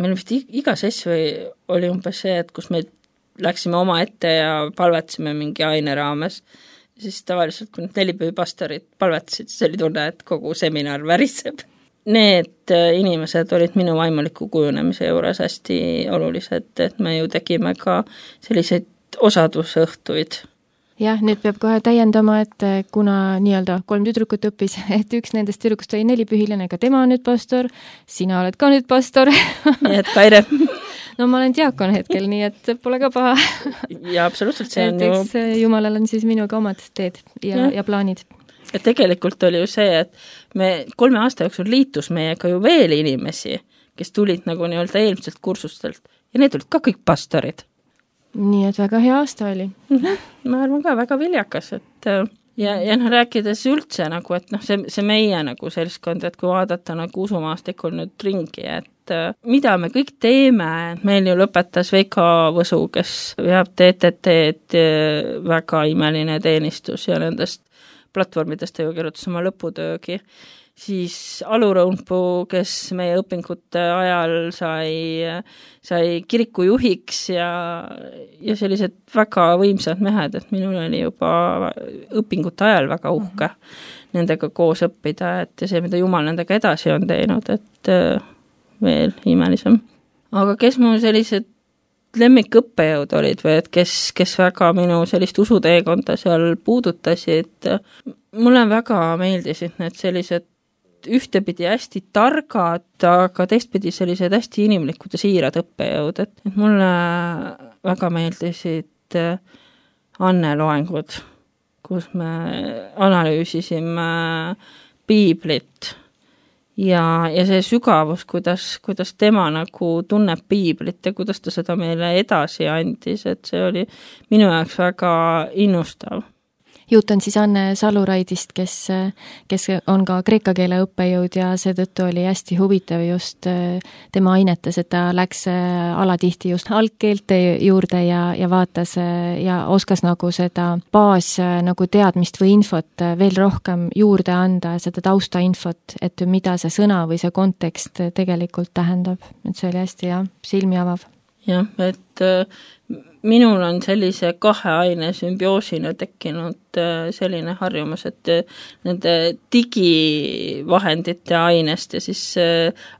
meil vist iga sess oli umbes see, et kus me läksime oma ette ja palvetasime mingi aine raames, siis tavaliselt, kui need 4 pühipastorit palvetasid, siis oli tunne, et kogu seminar väriseb. Need inimesed olid minu vaimuliku kujunemise juures hästi olulised, et me ju tegime ka selliseid osadusõhtuid. Jah, nüüd peab kohe täiendama, et kuna nii-öelda 3 tüdrukut õppis, et üks nendest tüdrukust oli 4 pühilane, ka tema on nüüd pastor, sina oled ka nüüd pastor. Nii et Kaire. No ma olen diakon hetkel, nii et pole ka paha. Ja absoluutselt see on ju... Jumalal on siis minuga omad teed ja plaanid. Ja tegelikult oli ju see, et me 3 aasta jooksul liitus meiega ju veel inimesi, kes tulid nagu nii-öelda eelmiselt kursustelt ja need olid ka kõik pastorid. Nii et väga hea aasta oli. Ma arvan ka väga viljakas, et ja rääkides üldse nagu, et see meie nagu seltskond, et kui vaadata nagu usumaastikul nüüd ringi, et mida me kõik teeme, meil ju lõpetas Veiko Võsu, kes veab TTT-d, väga imeline teenistus ja nendest platvormidest ta ju kirjutas oma lõputöögi. Siis Alu Rõunpuu, kes meie õpingute ajal sai kiriku juhiks ja sellised väga võimsad mehed, et minul oli juba õpingute ajal väga uhke nendega koos õppida, et see, mida Jumal nendega edasi on teinud, et veel imelisem. Aga kes mu sellised lemmikõppejõud olid või et kes väga minu sellist usuteekonda seal puudutasid, mulle väga meeldisid need sellised ühtepidi hästi targad, aga teistpidi sellised hästi inimlikud ja siirad õppejõud, et mulle väga meeldisid Anne loengud, kus me analüüsisime piiblit ja see sügavus, kuidas tema nagu tunneb piiblit ja kuidas ta seda meile edasi andis, et see oli minu jaoks väga innustav. Jutt on siis Anne Saluraidist, kes on ka kreeka keele õppejõud ja seetõttu oli hästi huvitav just tema ainetes, et ta läks alatihti just algkeelte juurde ja vaatas ja oskas nagu seda baas nagu teadmist või infot veel rohkem juurde anda, seda taustainfot, et mida see sõna või see kontekst tegelikult tähendab. Et see oli hästi silmi avav. Jah, et minul on sellise 2 aine sümbioosina tekkinud selline harjumus, et nende digivahendite ainest ja siis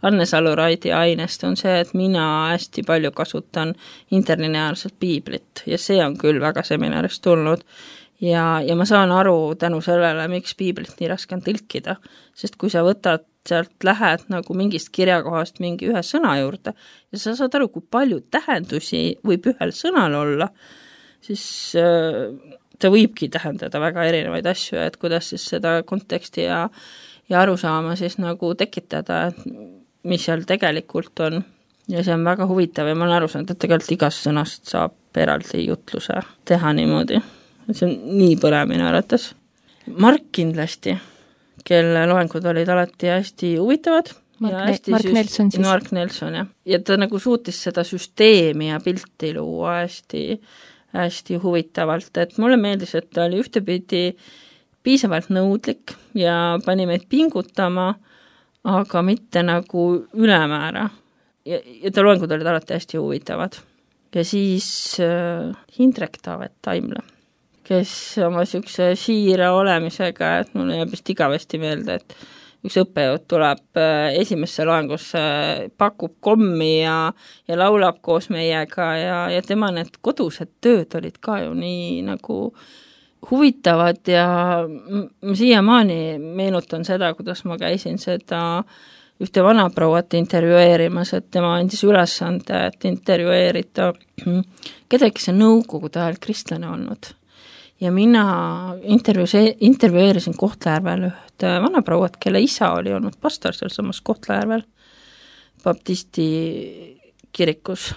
Anne Saluraidi ainest on see, et mina hästi palju kasutan interlineaarselt piiblit ja see on küll väga seminarist tulnud. ja ma saan aru tänu sellele, miks piiblit nii raske on tõlkida, sest kui sa võtad sealt, lähed nagu mingist kirjakohast mingi ühe sõna juurde ja sa saad aru, kui palju tähendusi võib ühel sõnal olla, siis ta võibki tähendada väga erinevaid asju, et kuidas siis seda konteksti ja arusaama siis nagu tekitada, mis seal tegelikult on. Ja see on väga huvitav ja ma olen aru saanud, et tegelikult igast sõnast saab eraldi jutluse teha niimoodi. See on nii põnev minu arvates. Mark kindlasti, kelle loengud olid alati hästi huvitavad. Mark Nelson siis. Mark Nelson, jah. Ja ta nagu suutis seda süsteemi ja pilti luua hästi huvitavalt, et mulle meeldis, et ta oli ühtepidi piisavalt nõudlik ja pani meid pingutama, aga mitte nagu ülemäära. Ja ta loengud olid alati hästi huvitavad. Ja siis Hindrek Taavet Taimla, kes oma siukse siira olemisega, et mulle jääb vist igavesti meelde, et üks õppejõud tuleb esimesse loengusse, pakub kommi ja laulab koos meiega ja tema need kodused tööd olid ka ju nii nagu huvitavad ja ma siiamaani meenutan seda, kuidas ma käisin seda ühte vanaprouat intervjueerimas, et tema andis ülesande, et intervjueerida kedagi see nõukogude ajal kristlane olnud. Ja mina intervjueerisin Kohtla-Järvel ühte vanaprouat, kelle isa oli olnud pastor seal samas Kohtla-Järvel baptisti kirikus.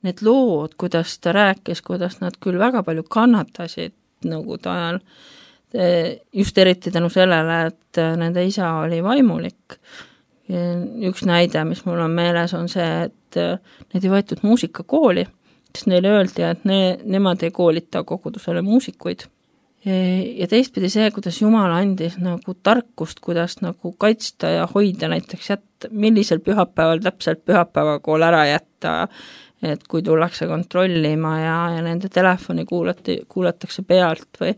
Need lood, kuidas ta rääkis, kuidas nad küll väga palju kannatasid nõukogude ajal, just eriti tänu sellele, et nende isa oli vaimulik. Üks näide, mis mul on meeles, on see, et need ei võetud muusikakooli, sest neile öeldi, et nemad ei koolita kogudusele muusikuid. Ja teistpidi see, kuidas Jumal andis nagu tarkust, kuidas nagu kaitsta ja hoida näiteks millisel pühapäeval täpselt pühapäevakool ära jätta, et kui tullakse kontrollima ja nende telefoni kuulatakse pealt või.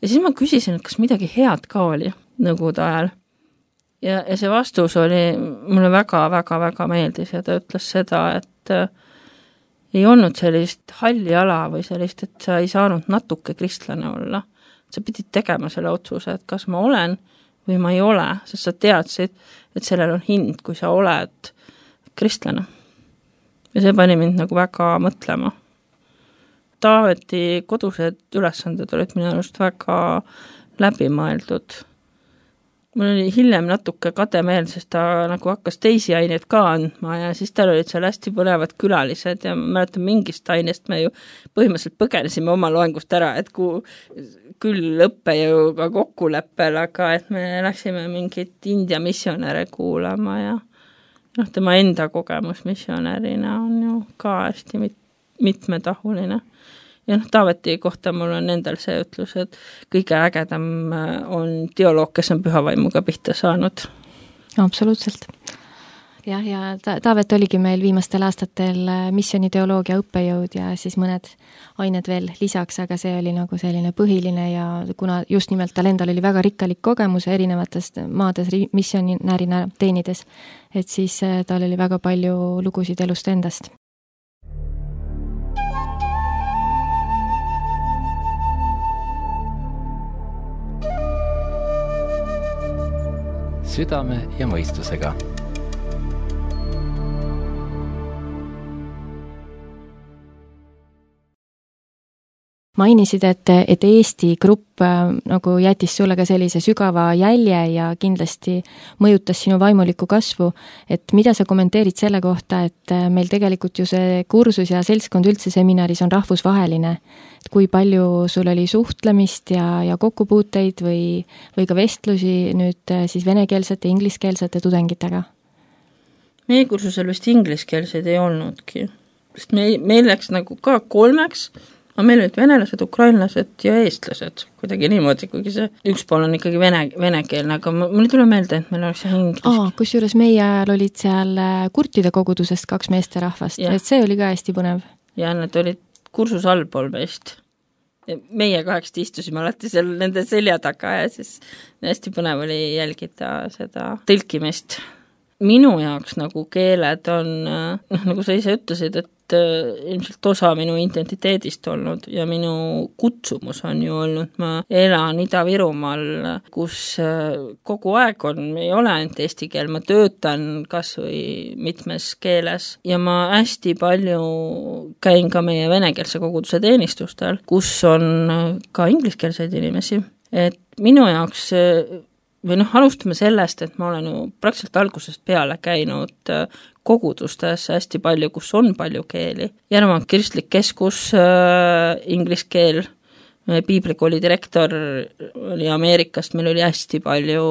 Ja siis ma küsisin, et kas midagi head ka oli nõukogude ajal. Ja see vastus oli, mulle väga meeldis ja ta ütles seda, et ei olnud sellist halli ala või sellist, et sa ei saanud natuke kristlane olla. Sa pidid tegema selle otsuse, et kas ma olen või ma ei ole, sest sa teadsid, et sellel on hind, kui sa oled kristlane. Ja see pani mind nagu väga mõtlema. Taaveti kodused ülesanded olid minu arust väga läbimõeldud. Mul oli hiljem natuke kademeel, sest ta nagu hakkas teisi aineid ka andma ja siis tal olid seal hästi põnevad külalised ja ma mäletan mingist ainest me ju põhimõtteliselt põgenesime oma loengust ära, et küll õppejõuga kokkuleppel, aga et me läksime mingit India missionäre kuulama ja tema enda kogemus missionärina on ju ka hästi mitmetahuline. Ja Taaveti kohta mul on endal see ütlus, et kõige ägedam on teoloog, kes on pühavaimuga pihta saanud. Absoluutselt. Ja Taavet oligi meil viimastel aastatel missioniteoloogia õppejõud ja siis mõned ained veel lisaks, aga see oli nagu selline põhiline ja kuna just nimelt tal endal oli väga rikkalik kogemus erinevatest maades missionärina teenides, et siis tal oli väga palju lugusid elust endast. Südame ja mõistusega. Mainisid, et Eesti grupp nagu jättis sulle ka sellise sügava jälje ja kindlasti mõjutas sinu vaimulikku kasvu, et mida sa kommenteerid selle kohta, et meil tegelikult ju see kursus ja seltskond üldse seminaris on rahvusvaheline, et kui palju sul oli suhtlemist ja kokkupuuteid või ka vestlusi nüüd siis venekeelsete, ingliskeelsete tudengitega? Meie kursusel vist ingliskeelseid ei olnudki, sest meil läks nagu ka 3, aga meil olid venelased, ukrainlased ja eestlased, kuidagi niimoodi, kuigi see üks pool on ikkagi venekeelne, aga mul ei tule meelde, et meil oleks inglis. Kusjuures meie ajal olid seal kurtide kogudusest 2 meesterahvast, et see oli ka hästi põnev. Ja need olid kursus allpool meist. Meie 8 istusime alati seal nende selja taga ja siis hästi põnev oli jälgida seda tõlkimist. minu jaoks nagu keeled on, nagu sa ise ütlesid, et ilmselt osa minu identiteedist olnud ja minu kutsumus on ju olnud, ma elan Ida-Virumaal, kus kogu aeg ei ole ainult eesti keel, ma töötan kas või mitmes keeles ja ma hästi palju käin ka meie venekeelse koguduse teenistustel, kus on ka ingliskeelseid inimesi, et minu jaoks või alustame sellest, et ma olen ju praktiliselt algusest peale käinud kogudustes hästi palju, kus on palju keeli. Järva kristlik keskus, inglise keel, piiblikooli direktor oli Ameerikast, meil oli hästi palju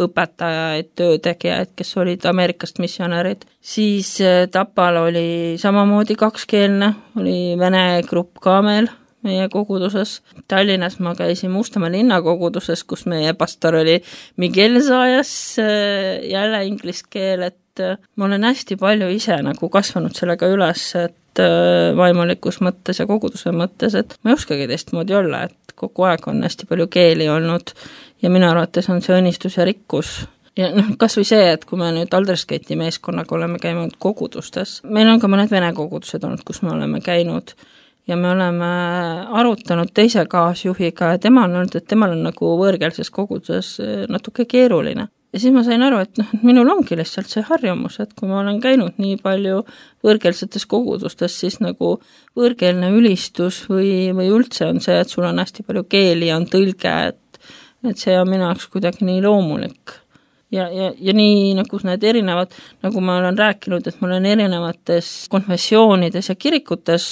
õpetajaid, töötegijaid, kes olid Ameerikast missionärid. Siis Tapal oli samamoodi kakskeelne, oli vene grupp ka meil meie koguduses. Tallinnas ma käisin Mustamäe linnakoguduses, kus meie pastor oli Miguel Zayas, jälle inglise keel, et ma olen hästi palju ise nagu kasvanud sellega üles, et vaimulikus mõttes ja koguduse mõttes, et ma ei oskagi teistmoodi olla, et kogu aeg on hästi palju keeli olnud ja minu arvates on see õnnistus ja rikkus. Ja kas või see, et kui me nüüd Aldersgati meeskonnaga oleme käinud kogudustes, meil on ka mõned vene kogudused olnud, kus me oleme käinud ja me oleme arutanud teise kaasjuhiga ja tema on öelnud, et temal on nagu võõrkeelses koguduses natuke keeruline. Ja siis ma sain aru, et minul ongi lihtsalt see harjumus, et kui ma olen käinud nii palju võõrkeelsetes kogudustes, siis nagu võõrkeelne ülistus või üldse on see, et sul on hästi palju keeli ja on tõlge, et see on minu jaoks kuidagi nii loomulik. Ja nii nagu need erinevad, nagu ma olen rääkinud, et ma olen erinevates konfessioonides ja kirikutes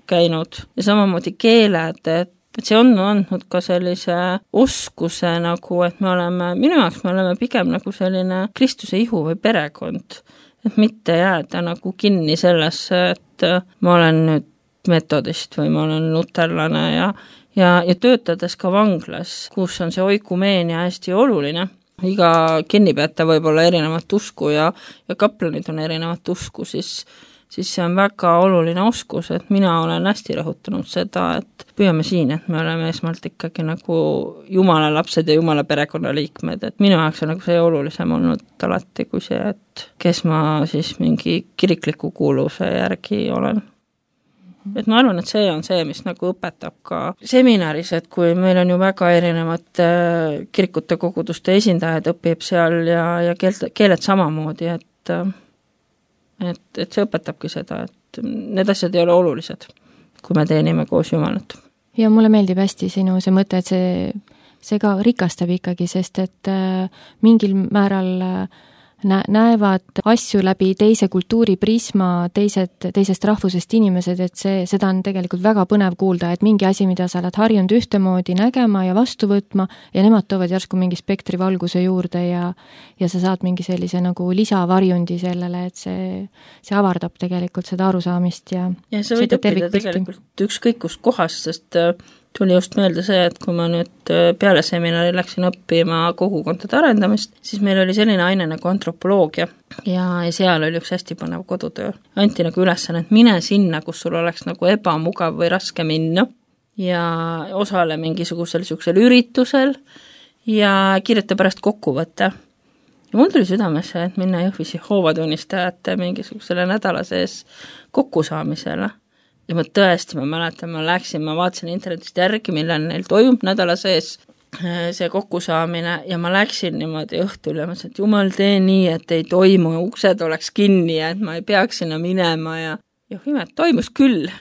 käinud ja samamoodi keeled, et see on andnud ka sellise oskuse nagu, et minu jaoks me oleme pigem nagu selline Kristuse ihu või perekond, et mitte jääda nagu kinni sellesse, et ma olen nüüd metodist või ma olen luterlane ja töötades ka vanglas, kus on see oikumeenia hästi oluline. Iga kinnipeataja võib olla erinevat usku ja kaplanid on erinevat usku, siis see on väga oluline oskus, et mina olen hästi rõhutanud seda, et püüame siin, et me oleme esmalt ikkagi nagu Jumala lapsed ja Jumala perekonnaliikmed, et minu jaoks on nagu see olulisem olnud alati kui see, et kes ma siis mingi kirikliku kuuluvuse järgi olen. Et ma arvan, et see on see, mis nagu õpetab ka seminaris, et kui meil on ju väga erinevad kirikute koguduste esindajad õpib seal ja keeled samamoodi, et see õpetabki seda, et need asjad ei ole olulised, kui me teenime koos Jumalat. Ja mulle meeldib hästi sinu see mõte, et see ka rikastab ikkagi, sest et mingil määral näevad asju läbi teise kultuuri prisma, teisest rahvusest inimesed, et seda on tegelikult väga põnev kuulda, et mingi asi, mida sa oled harjunud ühtemoodi nägema ja vastu võtma ja nemad toovad järsku mingi spektri valguse juurde ja sa saad mingi sellise nagu lisavarjundi sellele, et see avardab tegelikult seda arusaamist ja sa võid õppida tegelikult ükskõik kust kohast, sest tuli just meelde see, et kui ma nüüd peale seminari läksin õppima kogukondade arendamist, siis meil oli selline aine nagu antropoloogia ja seal oli üks hästi põnev kodutöö. Anti nagu ülesanne, et mine sinna, kus sul oleks nagu ebamugav või raske minna ja osale mingisugusel üritusel ja kirjuta pärast kokkuvõtte. Ja mul tuli südamesse, et minna Jõhvisi hoovatunnistajate mingisugusele nädala sees kokkusaamisele. Ja ma tõesti, ma mäletan, ma vaatasin internetist järgi, millal neil toimub nädala sees see kokkusaamine ja ma läksin niimoodi õhtul ja mõtlesin, et jumal tee nii, et ei toimu, uksed oleks kinni ja et ma ei peaks sinna minema ja imet, toimus küll.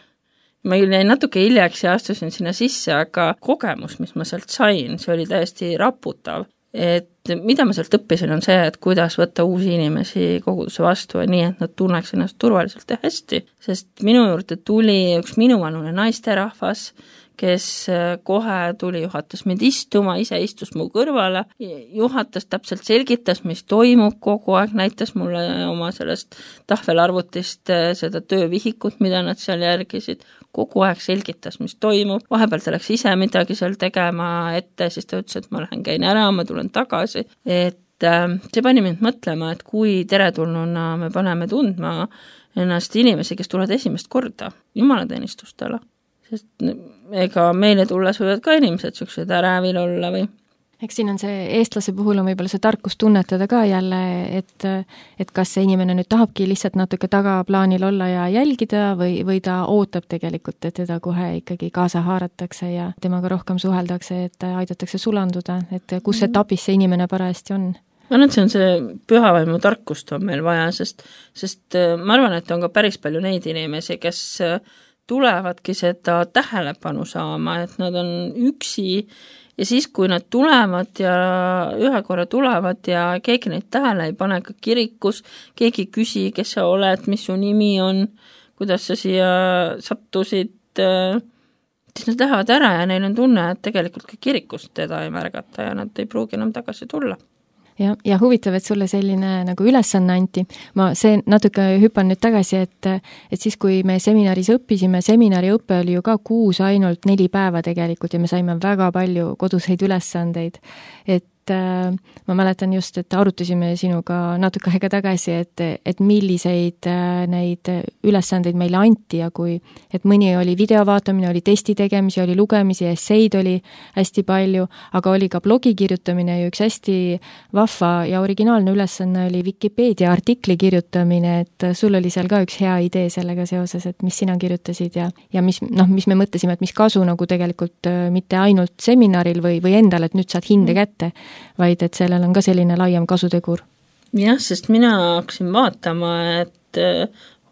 Ma jäin natuke hiljaks ja astusin sinna sisse, aga kogemus, mis ma sealt sain, see oli täiesti raputav. Et mida ma sealt õppisin on see, et kuidas võtta uusi inimesi koguduse vastu ja nii, et nad tunneks ennast turvaliselt ja hästi, sest minu juurde tuli üks minuvanune naisterahvas, kes kohe tuli, juhatas mind istuma, ise istus mu kõrvale, juhatas täpselt selgitas, mis toimub kogu aeg, näitas mulle oma sellest tahvelarvutist seda töövihikut, mida nad seal järgisid, kogu aeg selgitas, mis toimub, vahepeal ta läks ise midagi seal tegema ette, siis ta ütles, et ma lähen käin ära, ma tulen tagasi, et see pani mind mõtlema, et kui teretulnuna me paneme tundma ennast inimesi, kes tulevad esimest korda jumalateenistustele, sest ega meile tulles võivad ka inimesed sellised ärevil olla või? Eks siin on see eestlase puhul on võib-olla see tarkus tunnetada ka jälle, et kas see inimene nüüd tahabki lihtsalt natuke tagaplaanil olla ja jälgida või ta ootab tegelikult, et teda kohe ikkagi kaasa haaratakse ja temaga rohkem suheldakse, et aidatakse sulanduda, et kus etapis see inimene parajasti on. Ma arvan, et see on see pühavaimu tarkust on meil vaja, sest ma arvan, et on ka päris palju neid inimesi, kes tulevadki seda tähelepanu saama, et nad on üksi ja siis, kui nad tulevad ja ühe korra tulevad ja keegi neid tähele ei pane ka kirikus, keegi küsi, kes sa oled, mis su nimi on, kuidas sa siia sattusid, siis nad lähevad ära ja neil on tunne, et tegelikult ka kirikust teda ei märgata ja nad ei pruugi enam tagasi tulla. Ja huvitav, et sulle selline nagu ülesanne anti. Ma see natuke hüppan nüüd tagasi, et siis, kui me seminaris õppisime, seminari õpe oli ju ka 6 ainult 4 päeva tegelikult ja me saime väga palju koduseid ülesandeid. Et ma mäletan just, et arutasime sinuga natuke aega tagasi, et milliseid neid ülesandeid meile anti ja et mõni oli video vaatamine, oli testi tegemisi, oli lugemisi, esseid oli hästi palju, aga oli ka blogi kirjutamine ja üks hästi vahva ja originaalne ülesanne oli Wikipedia artikli kirjutamine, et sul oli seal ka üks hea idee sellega seoses, et mis sina kirjutasid ja mis me mõtlesime, et mis kasu nagu tegelikult mitte ainult seminaril või endal, et nüüd saad hinde kätte, vaid et sellel on ka selline laiem kasutegur. Jah, sest mina hakkasin vaatama, et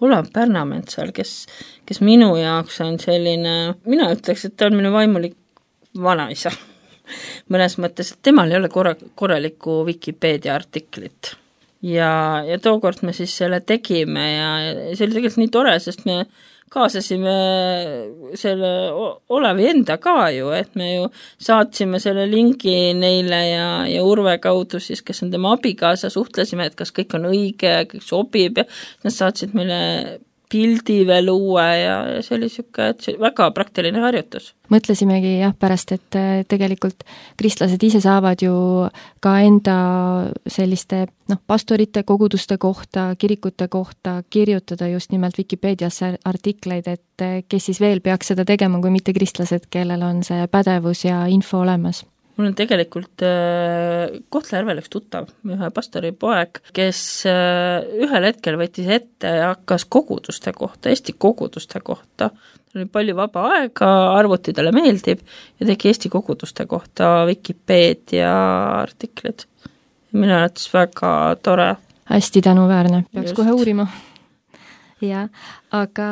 Olav Pärnametsal, kes minu jaoks on selline, mina ütleks, et ta on minu vaimulik vanaisa. Mõnes mõttes, et temal ei ole korralikku Wikipedia artiklit. Ja tookord me siis selle tegime ja see oli tegelikult nii tore, sest me kaasasime selle Olavi enda ka ju, et me ju saatsime selle lingi neile ja Urve kaudu siis, kes on tema abikaasa, suhtlesime, et kas kõik on õige ja kõik sobib ja nad saatsid meile pildi veel uue ja see oli väga praktiline harjutus. Mõtlesimegi pärast, et tegelikult kristlased ise saavad ju ka enda selliste pastorite, koguduste kohta, kirikute kohta kirjutada just nimelt Wikipediasse artikleid, et kes siis veel peaks seda tegema, kui mitte kristlased, kellel on see pädevus ja info olemas. Mul on tegelikult Kohtla-Järvel üks tuttav, ühe pastori poeg, kes ühel hetkel võttis ette ja hakkas koguduste kohta, Eesti koguduste kohta. Tal oli palju vaba aega, arvuti talle meeldib ja tegi Eesti koguduste kohta Wikipedia artiklid. Minu arvates väga tore. Hästi tänuväärne, peaks kohe uurima. Ja, aga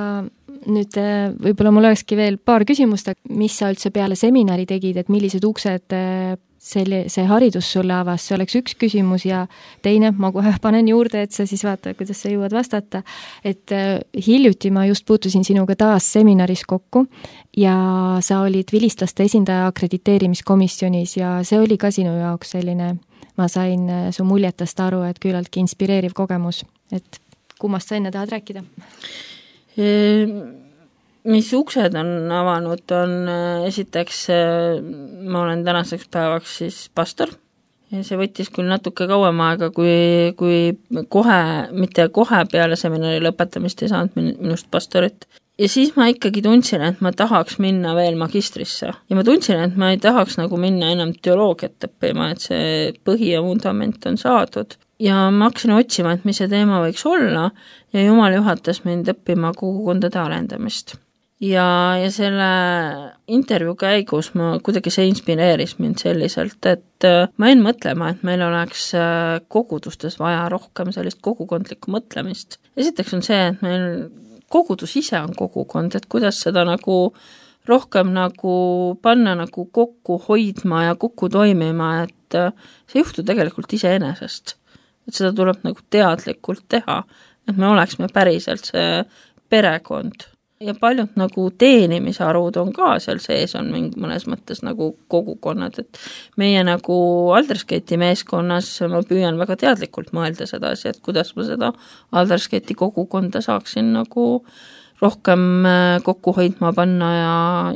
nüüd võib-olla mul olekski veel paar küsimust, mis sa üldse peale seminari tegid, et millised uksed see haridus sulle avas, see oleks üks küsimus ja teine, ma kohe panen juurde, et sa siis vaata, kuidas sa jõuad vastata, et hiljuti ma just puutusin sinuga taas seminaris kokku ja sa olid vilistlaste esindaja akrediteerimiskomisjonis ja see oli ka sinu jaoks selline, ma sain su muljetast aru, et küllaltki inspireeriv kogemus, et kummast sa enne tahad rääkida? Mis uksed on avanud, on esiteks, ma olen tänaseks päevaks siis pastor ja see võttis küll natuke kauem aega, kui kohe, mitte kohe peale seminari lõpetamist ei saanud minust pastorit. Ja siis ma ikkagi tundsin, et ma tahaks minna veel magistrisse ja ma tundsin, et ma ei tahaks nagu minna enam teoloogiat õppima, et see põhi ja vundament on saadud. Ja ma hakkasin otsima, et mis see teema võiks olla ja Jumal juhatas mind õppima kogukondade arendamist. Ja selle intervjuu käigus kuidagi see inspireeris mind selliselt, et ma jäin mõtlema, et meil oleks kogudustes vaja rohkem sellist kogukondlikku mõtlemist. Esiteks on see, et meil kogudus ise on kogukond, et kuidas seda nagu rohkem nagu panna nagu kokku hoidma ja kokku toimima, et see juhtu tegelikult iseenesest. Et seda tuleb nagu teadlikult teha, et me oleksime päriselt see perekond. Ja paljud nagu teenimisarvud on ka seal sees, on mõnes mõttes nagu kogukonnad, et meie nagu Aldersgate'i meeskonnas ma püüan väga teadlikult mõelda sedasi, et kuidas ma seda Aldersgate'i kogukonda saaksin nagu rohkem kokku hoidma panna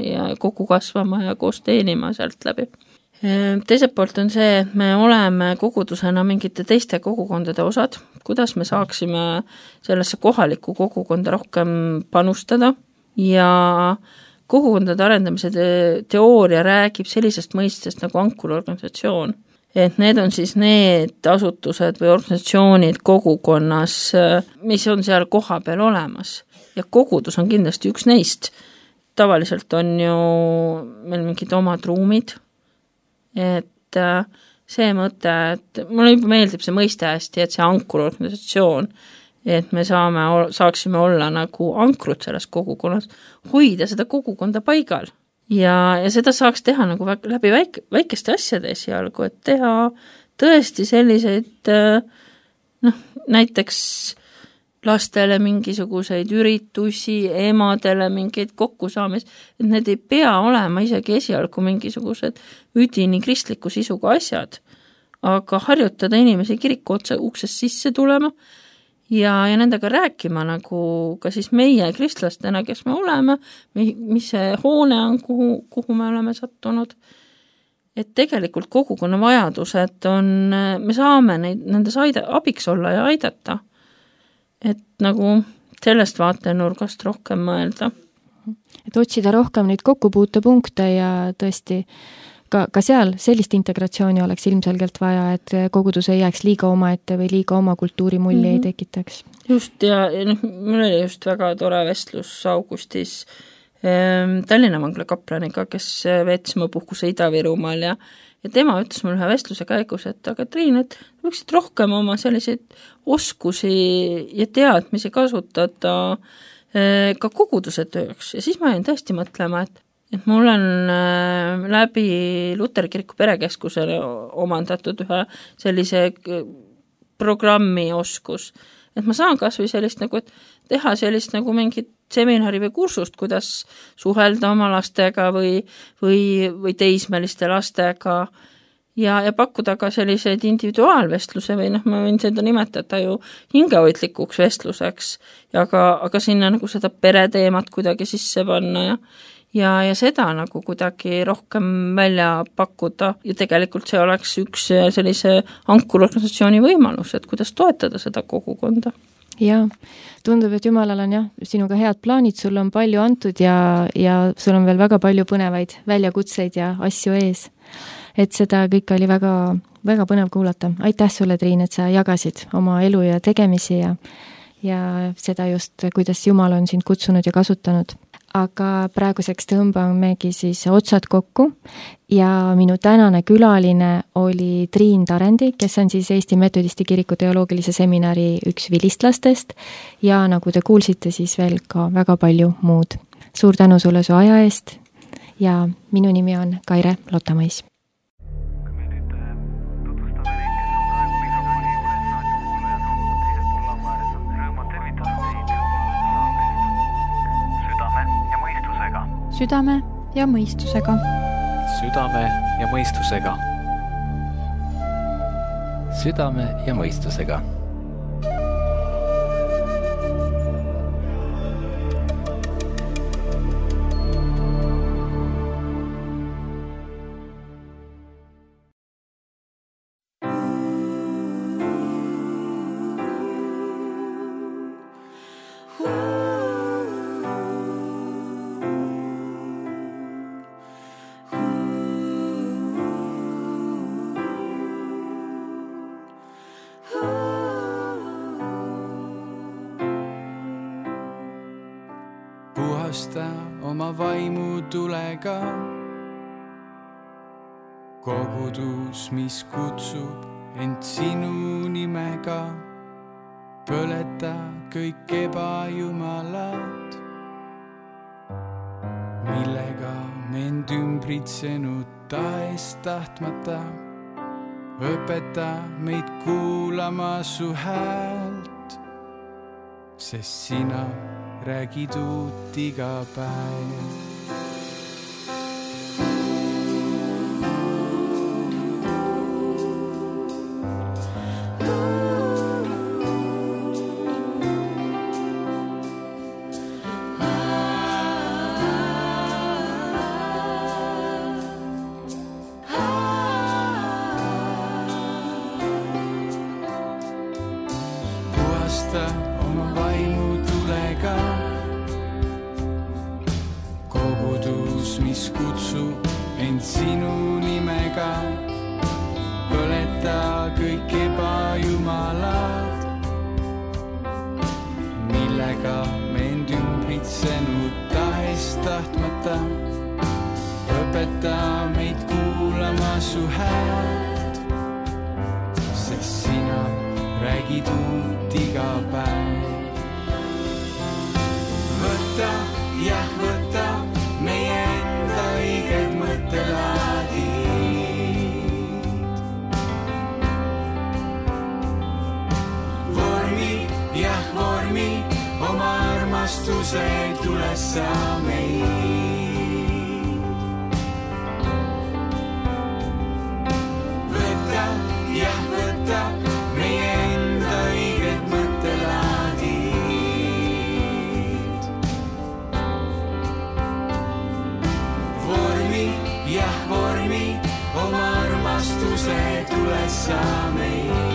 ja kokku kasvama ja koos teenima sealt läbi. Teiselt poolt on see, et me oleme kogudusena mingite teiste kogukondade osad, kuidas me saaksime sellesse kohalikku kogukonda rohkem panustada ja kogukondade arendamise teooria räägib sellisest mõistest nagu ankurorganisatsioon. Et need on siis need asutused või organisatsioonid kogukonnas, mis on seal koha peal olemas. Ja kogudus on kindlasti üks neist. Tavaliselt on ju meil mingid omad ruumid, et see mõte, et mulle juba meeldib see mõiste hästi, et see ankurorganisatsioon, et me saaksime olla nagu ankrud selles kogukonnas, hoida seda kogukonda paigal. Ja seda saaks teha nagu läbi väikeste asjade esialgu, et teha tõesti selliseid, näiteks lastele mingisuguseid üritusi, emadele mingeid kokkusaamis, et need ei pea olema isegi esialgu mingisugused üdini kristliku sisuga asjad, aga harjutada inimesi kiriku uksest sisse tulema ja nendega rääkima nagu ka siis meie kristlastena, kes me oleme, mis see hoone on, kuhu me oleme sattunud. Et tegelikult kogukonna vajadused on, me saame nendes abiks olla ja aidata. Et nagu sellest vaatenurgast rohkem mõelda. Et otsida rohkem neid kokkupuutepunkte ja tõesti ka seal sellist integratsiooni oleks ilmselgelt vaja, et kogudus ei jääks liiga omaette või liiga oma kultuurimulli ei tekitaks. Just, ja mul oli just väga tore vestlus augustis Tallinna vangla kaplaniga, kes veetis mu puhkuse Ida-Virumaal ja tema ütles mul ühe vestluse käigus, et aga Triin, et võiksid rohkem oma selliseid oskusi ja teadmisi kasutada ka koguduse tööks. Ja siis ma jäin tõesti mõtlema, et mul on läbi Luteri kiriku perekeskusele omandatud ühe sellise programmi oskus, et ma saan kas või sellist nagu, et teha sellist nagu mingit seminari või kursust, kuidas suhelda oma lastega või teismeliste lastega ja pakkuda ka selliseid individuaalvestluse või ma võin seda nimetada ju hingehoidlikuks vestluseks ja aga sinna nagu seda pereteemat kuidagi sisse panna ja seda nagu kuidagi rohkem välja pakkuda ja tegelikult see oleks üks sellise ankurorganisatsiooni võimalus, et kuidas toetada seda kogukonda. Jaa, tundub, et Jumalal on sinuga head plaanid, sul on palju antud ja sul on veel väga palju põnevaid väljakutseid ja asju ees. Et seda kõik oli väga, väga põnev kuulata. Aitäh sulle, Triin, et sa jagasid oma elu ja tegemisi ja seda just, kuidas Jumal on sind kutsunud ja kasutanud. Aga praeguseks tõmbamegi siis otsad kokku ja minu tänane külaline oli Triin Tarendi, kes on siis Eesti Metodisti Kiriku teoloogilise seminari üks vilistlastest ja nagu te kuulsite, siis veel ka väga palju muud. Suur tänu sulle su aja eest ja minu nimi on Kaire Lotamõis. Südame ja mõistusega. Südame ja mõistusega. Südame ja mõistusega. Puhasta oma vaimu tulega, kogudus, mis kutsub end sinu nimega, põleta kõik ebajumalad, millega mind ümbritsenud taest tahtmata, õpeta meid kuulama su häält, sest sina räägid uut iga päev. Puhasta oma vaimu tulega, kogu sinu nimega, põleta kõik ebajumalad, millega me end ümbritsenud tahes-tahtmata. Õpeta meid kuulama su häält, sest sina räägid uut iga päev. Võta, jah võta meie enda õiged mõttelaadid. Vormi, jah vormi oma armastuse tulessa meid. Võta, jah võta meie enda õiged mõttelaadid. Vormi, jah vormi oma armastuse tulessa meid.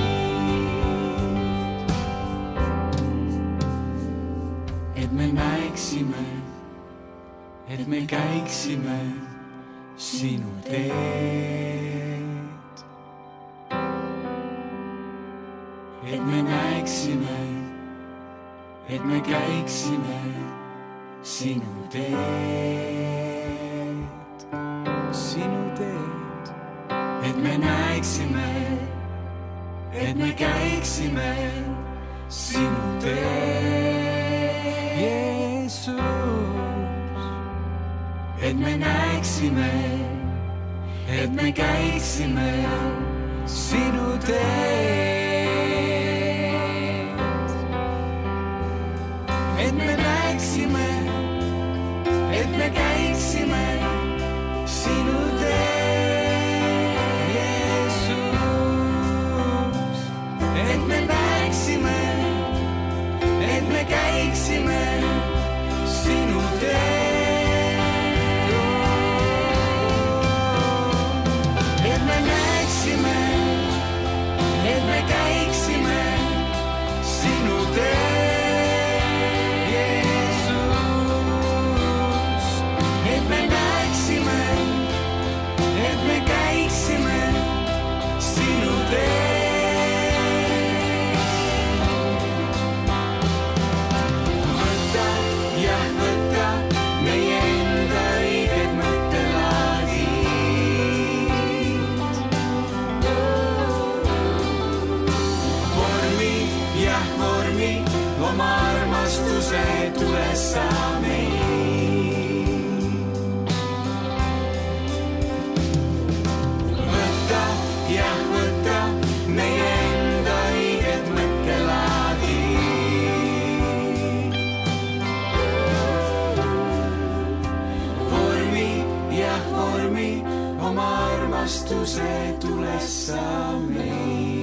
Et me näeksime, et me käiksime sinu teed. Et me näeksime, et me käiksime sinu teed. Sinu teed. Et me näeksime, et me käiksime sinu teed. Jeesus. Et me näeksime, et me käiksime sinu teed. Et me näeksime, et me käiksime sinu teed, Jeesus. Et me näeksime, et me käiksime sinu teed. Et me näeksime, et me käiksime sinu teed. Oma armastuse tulessa meid. Võta, jah võta meie enda õiged mõttelaadid. Vormi, jah vormi oma armastuse tulessa meid.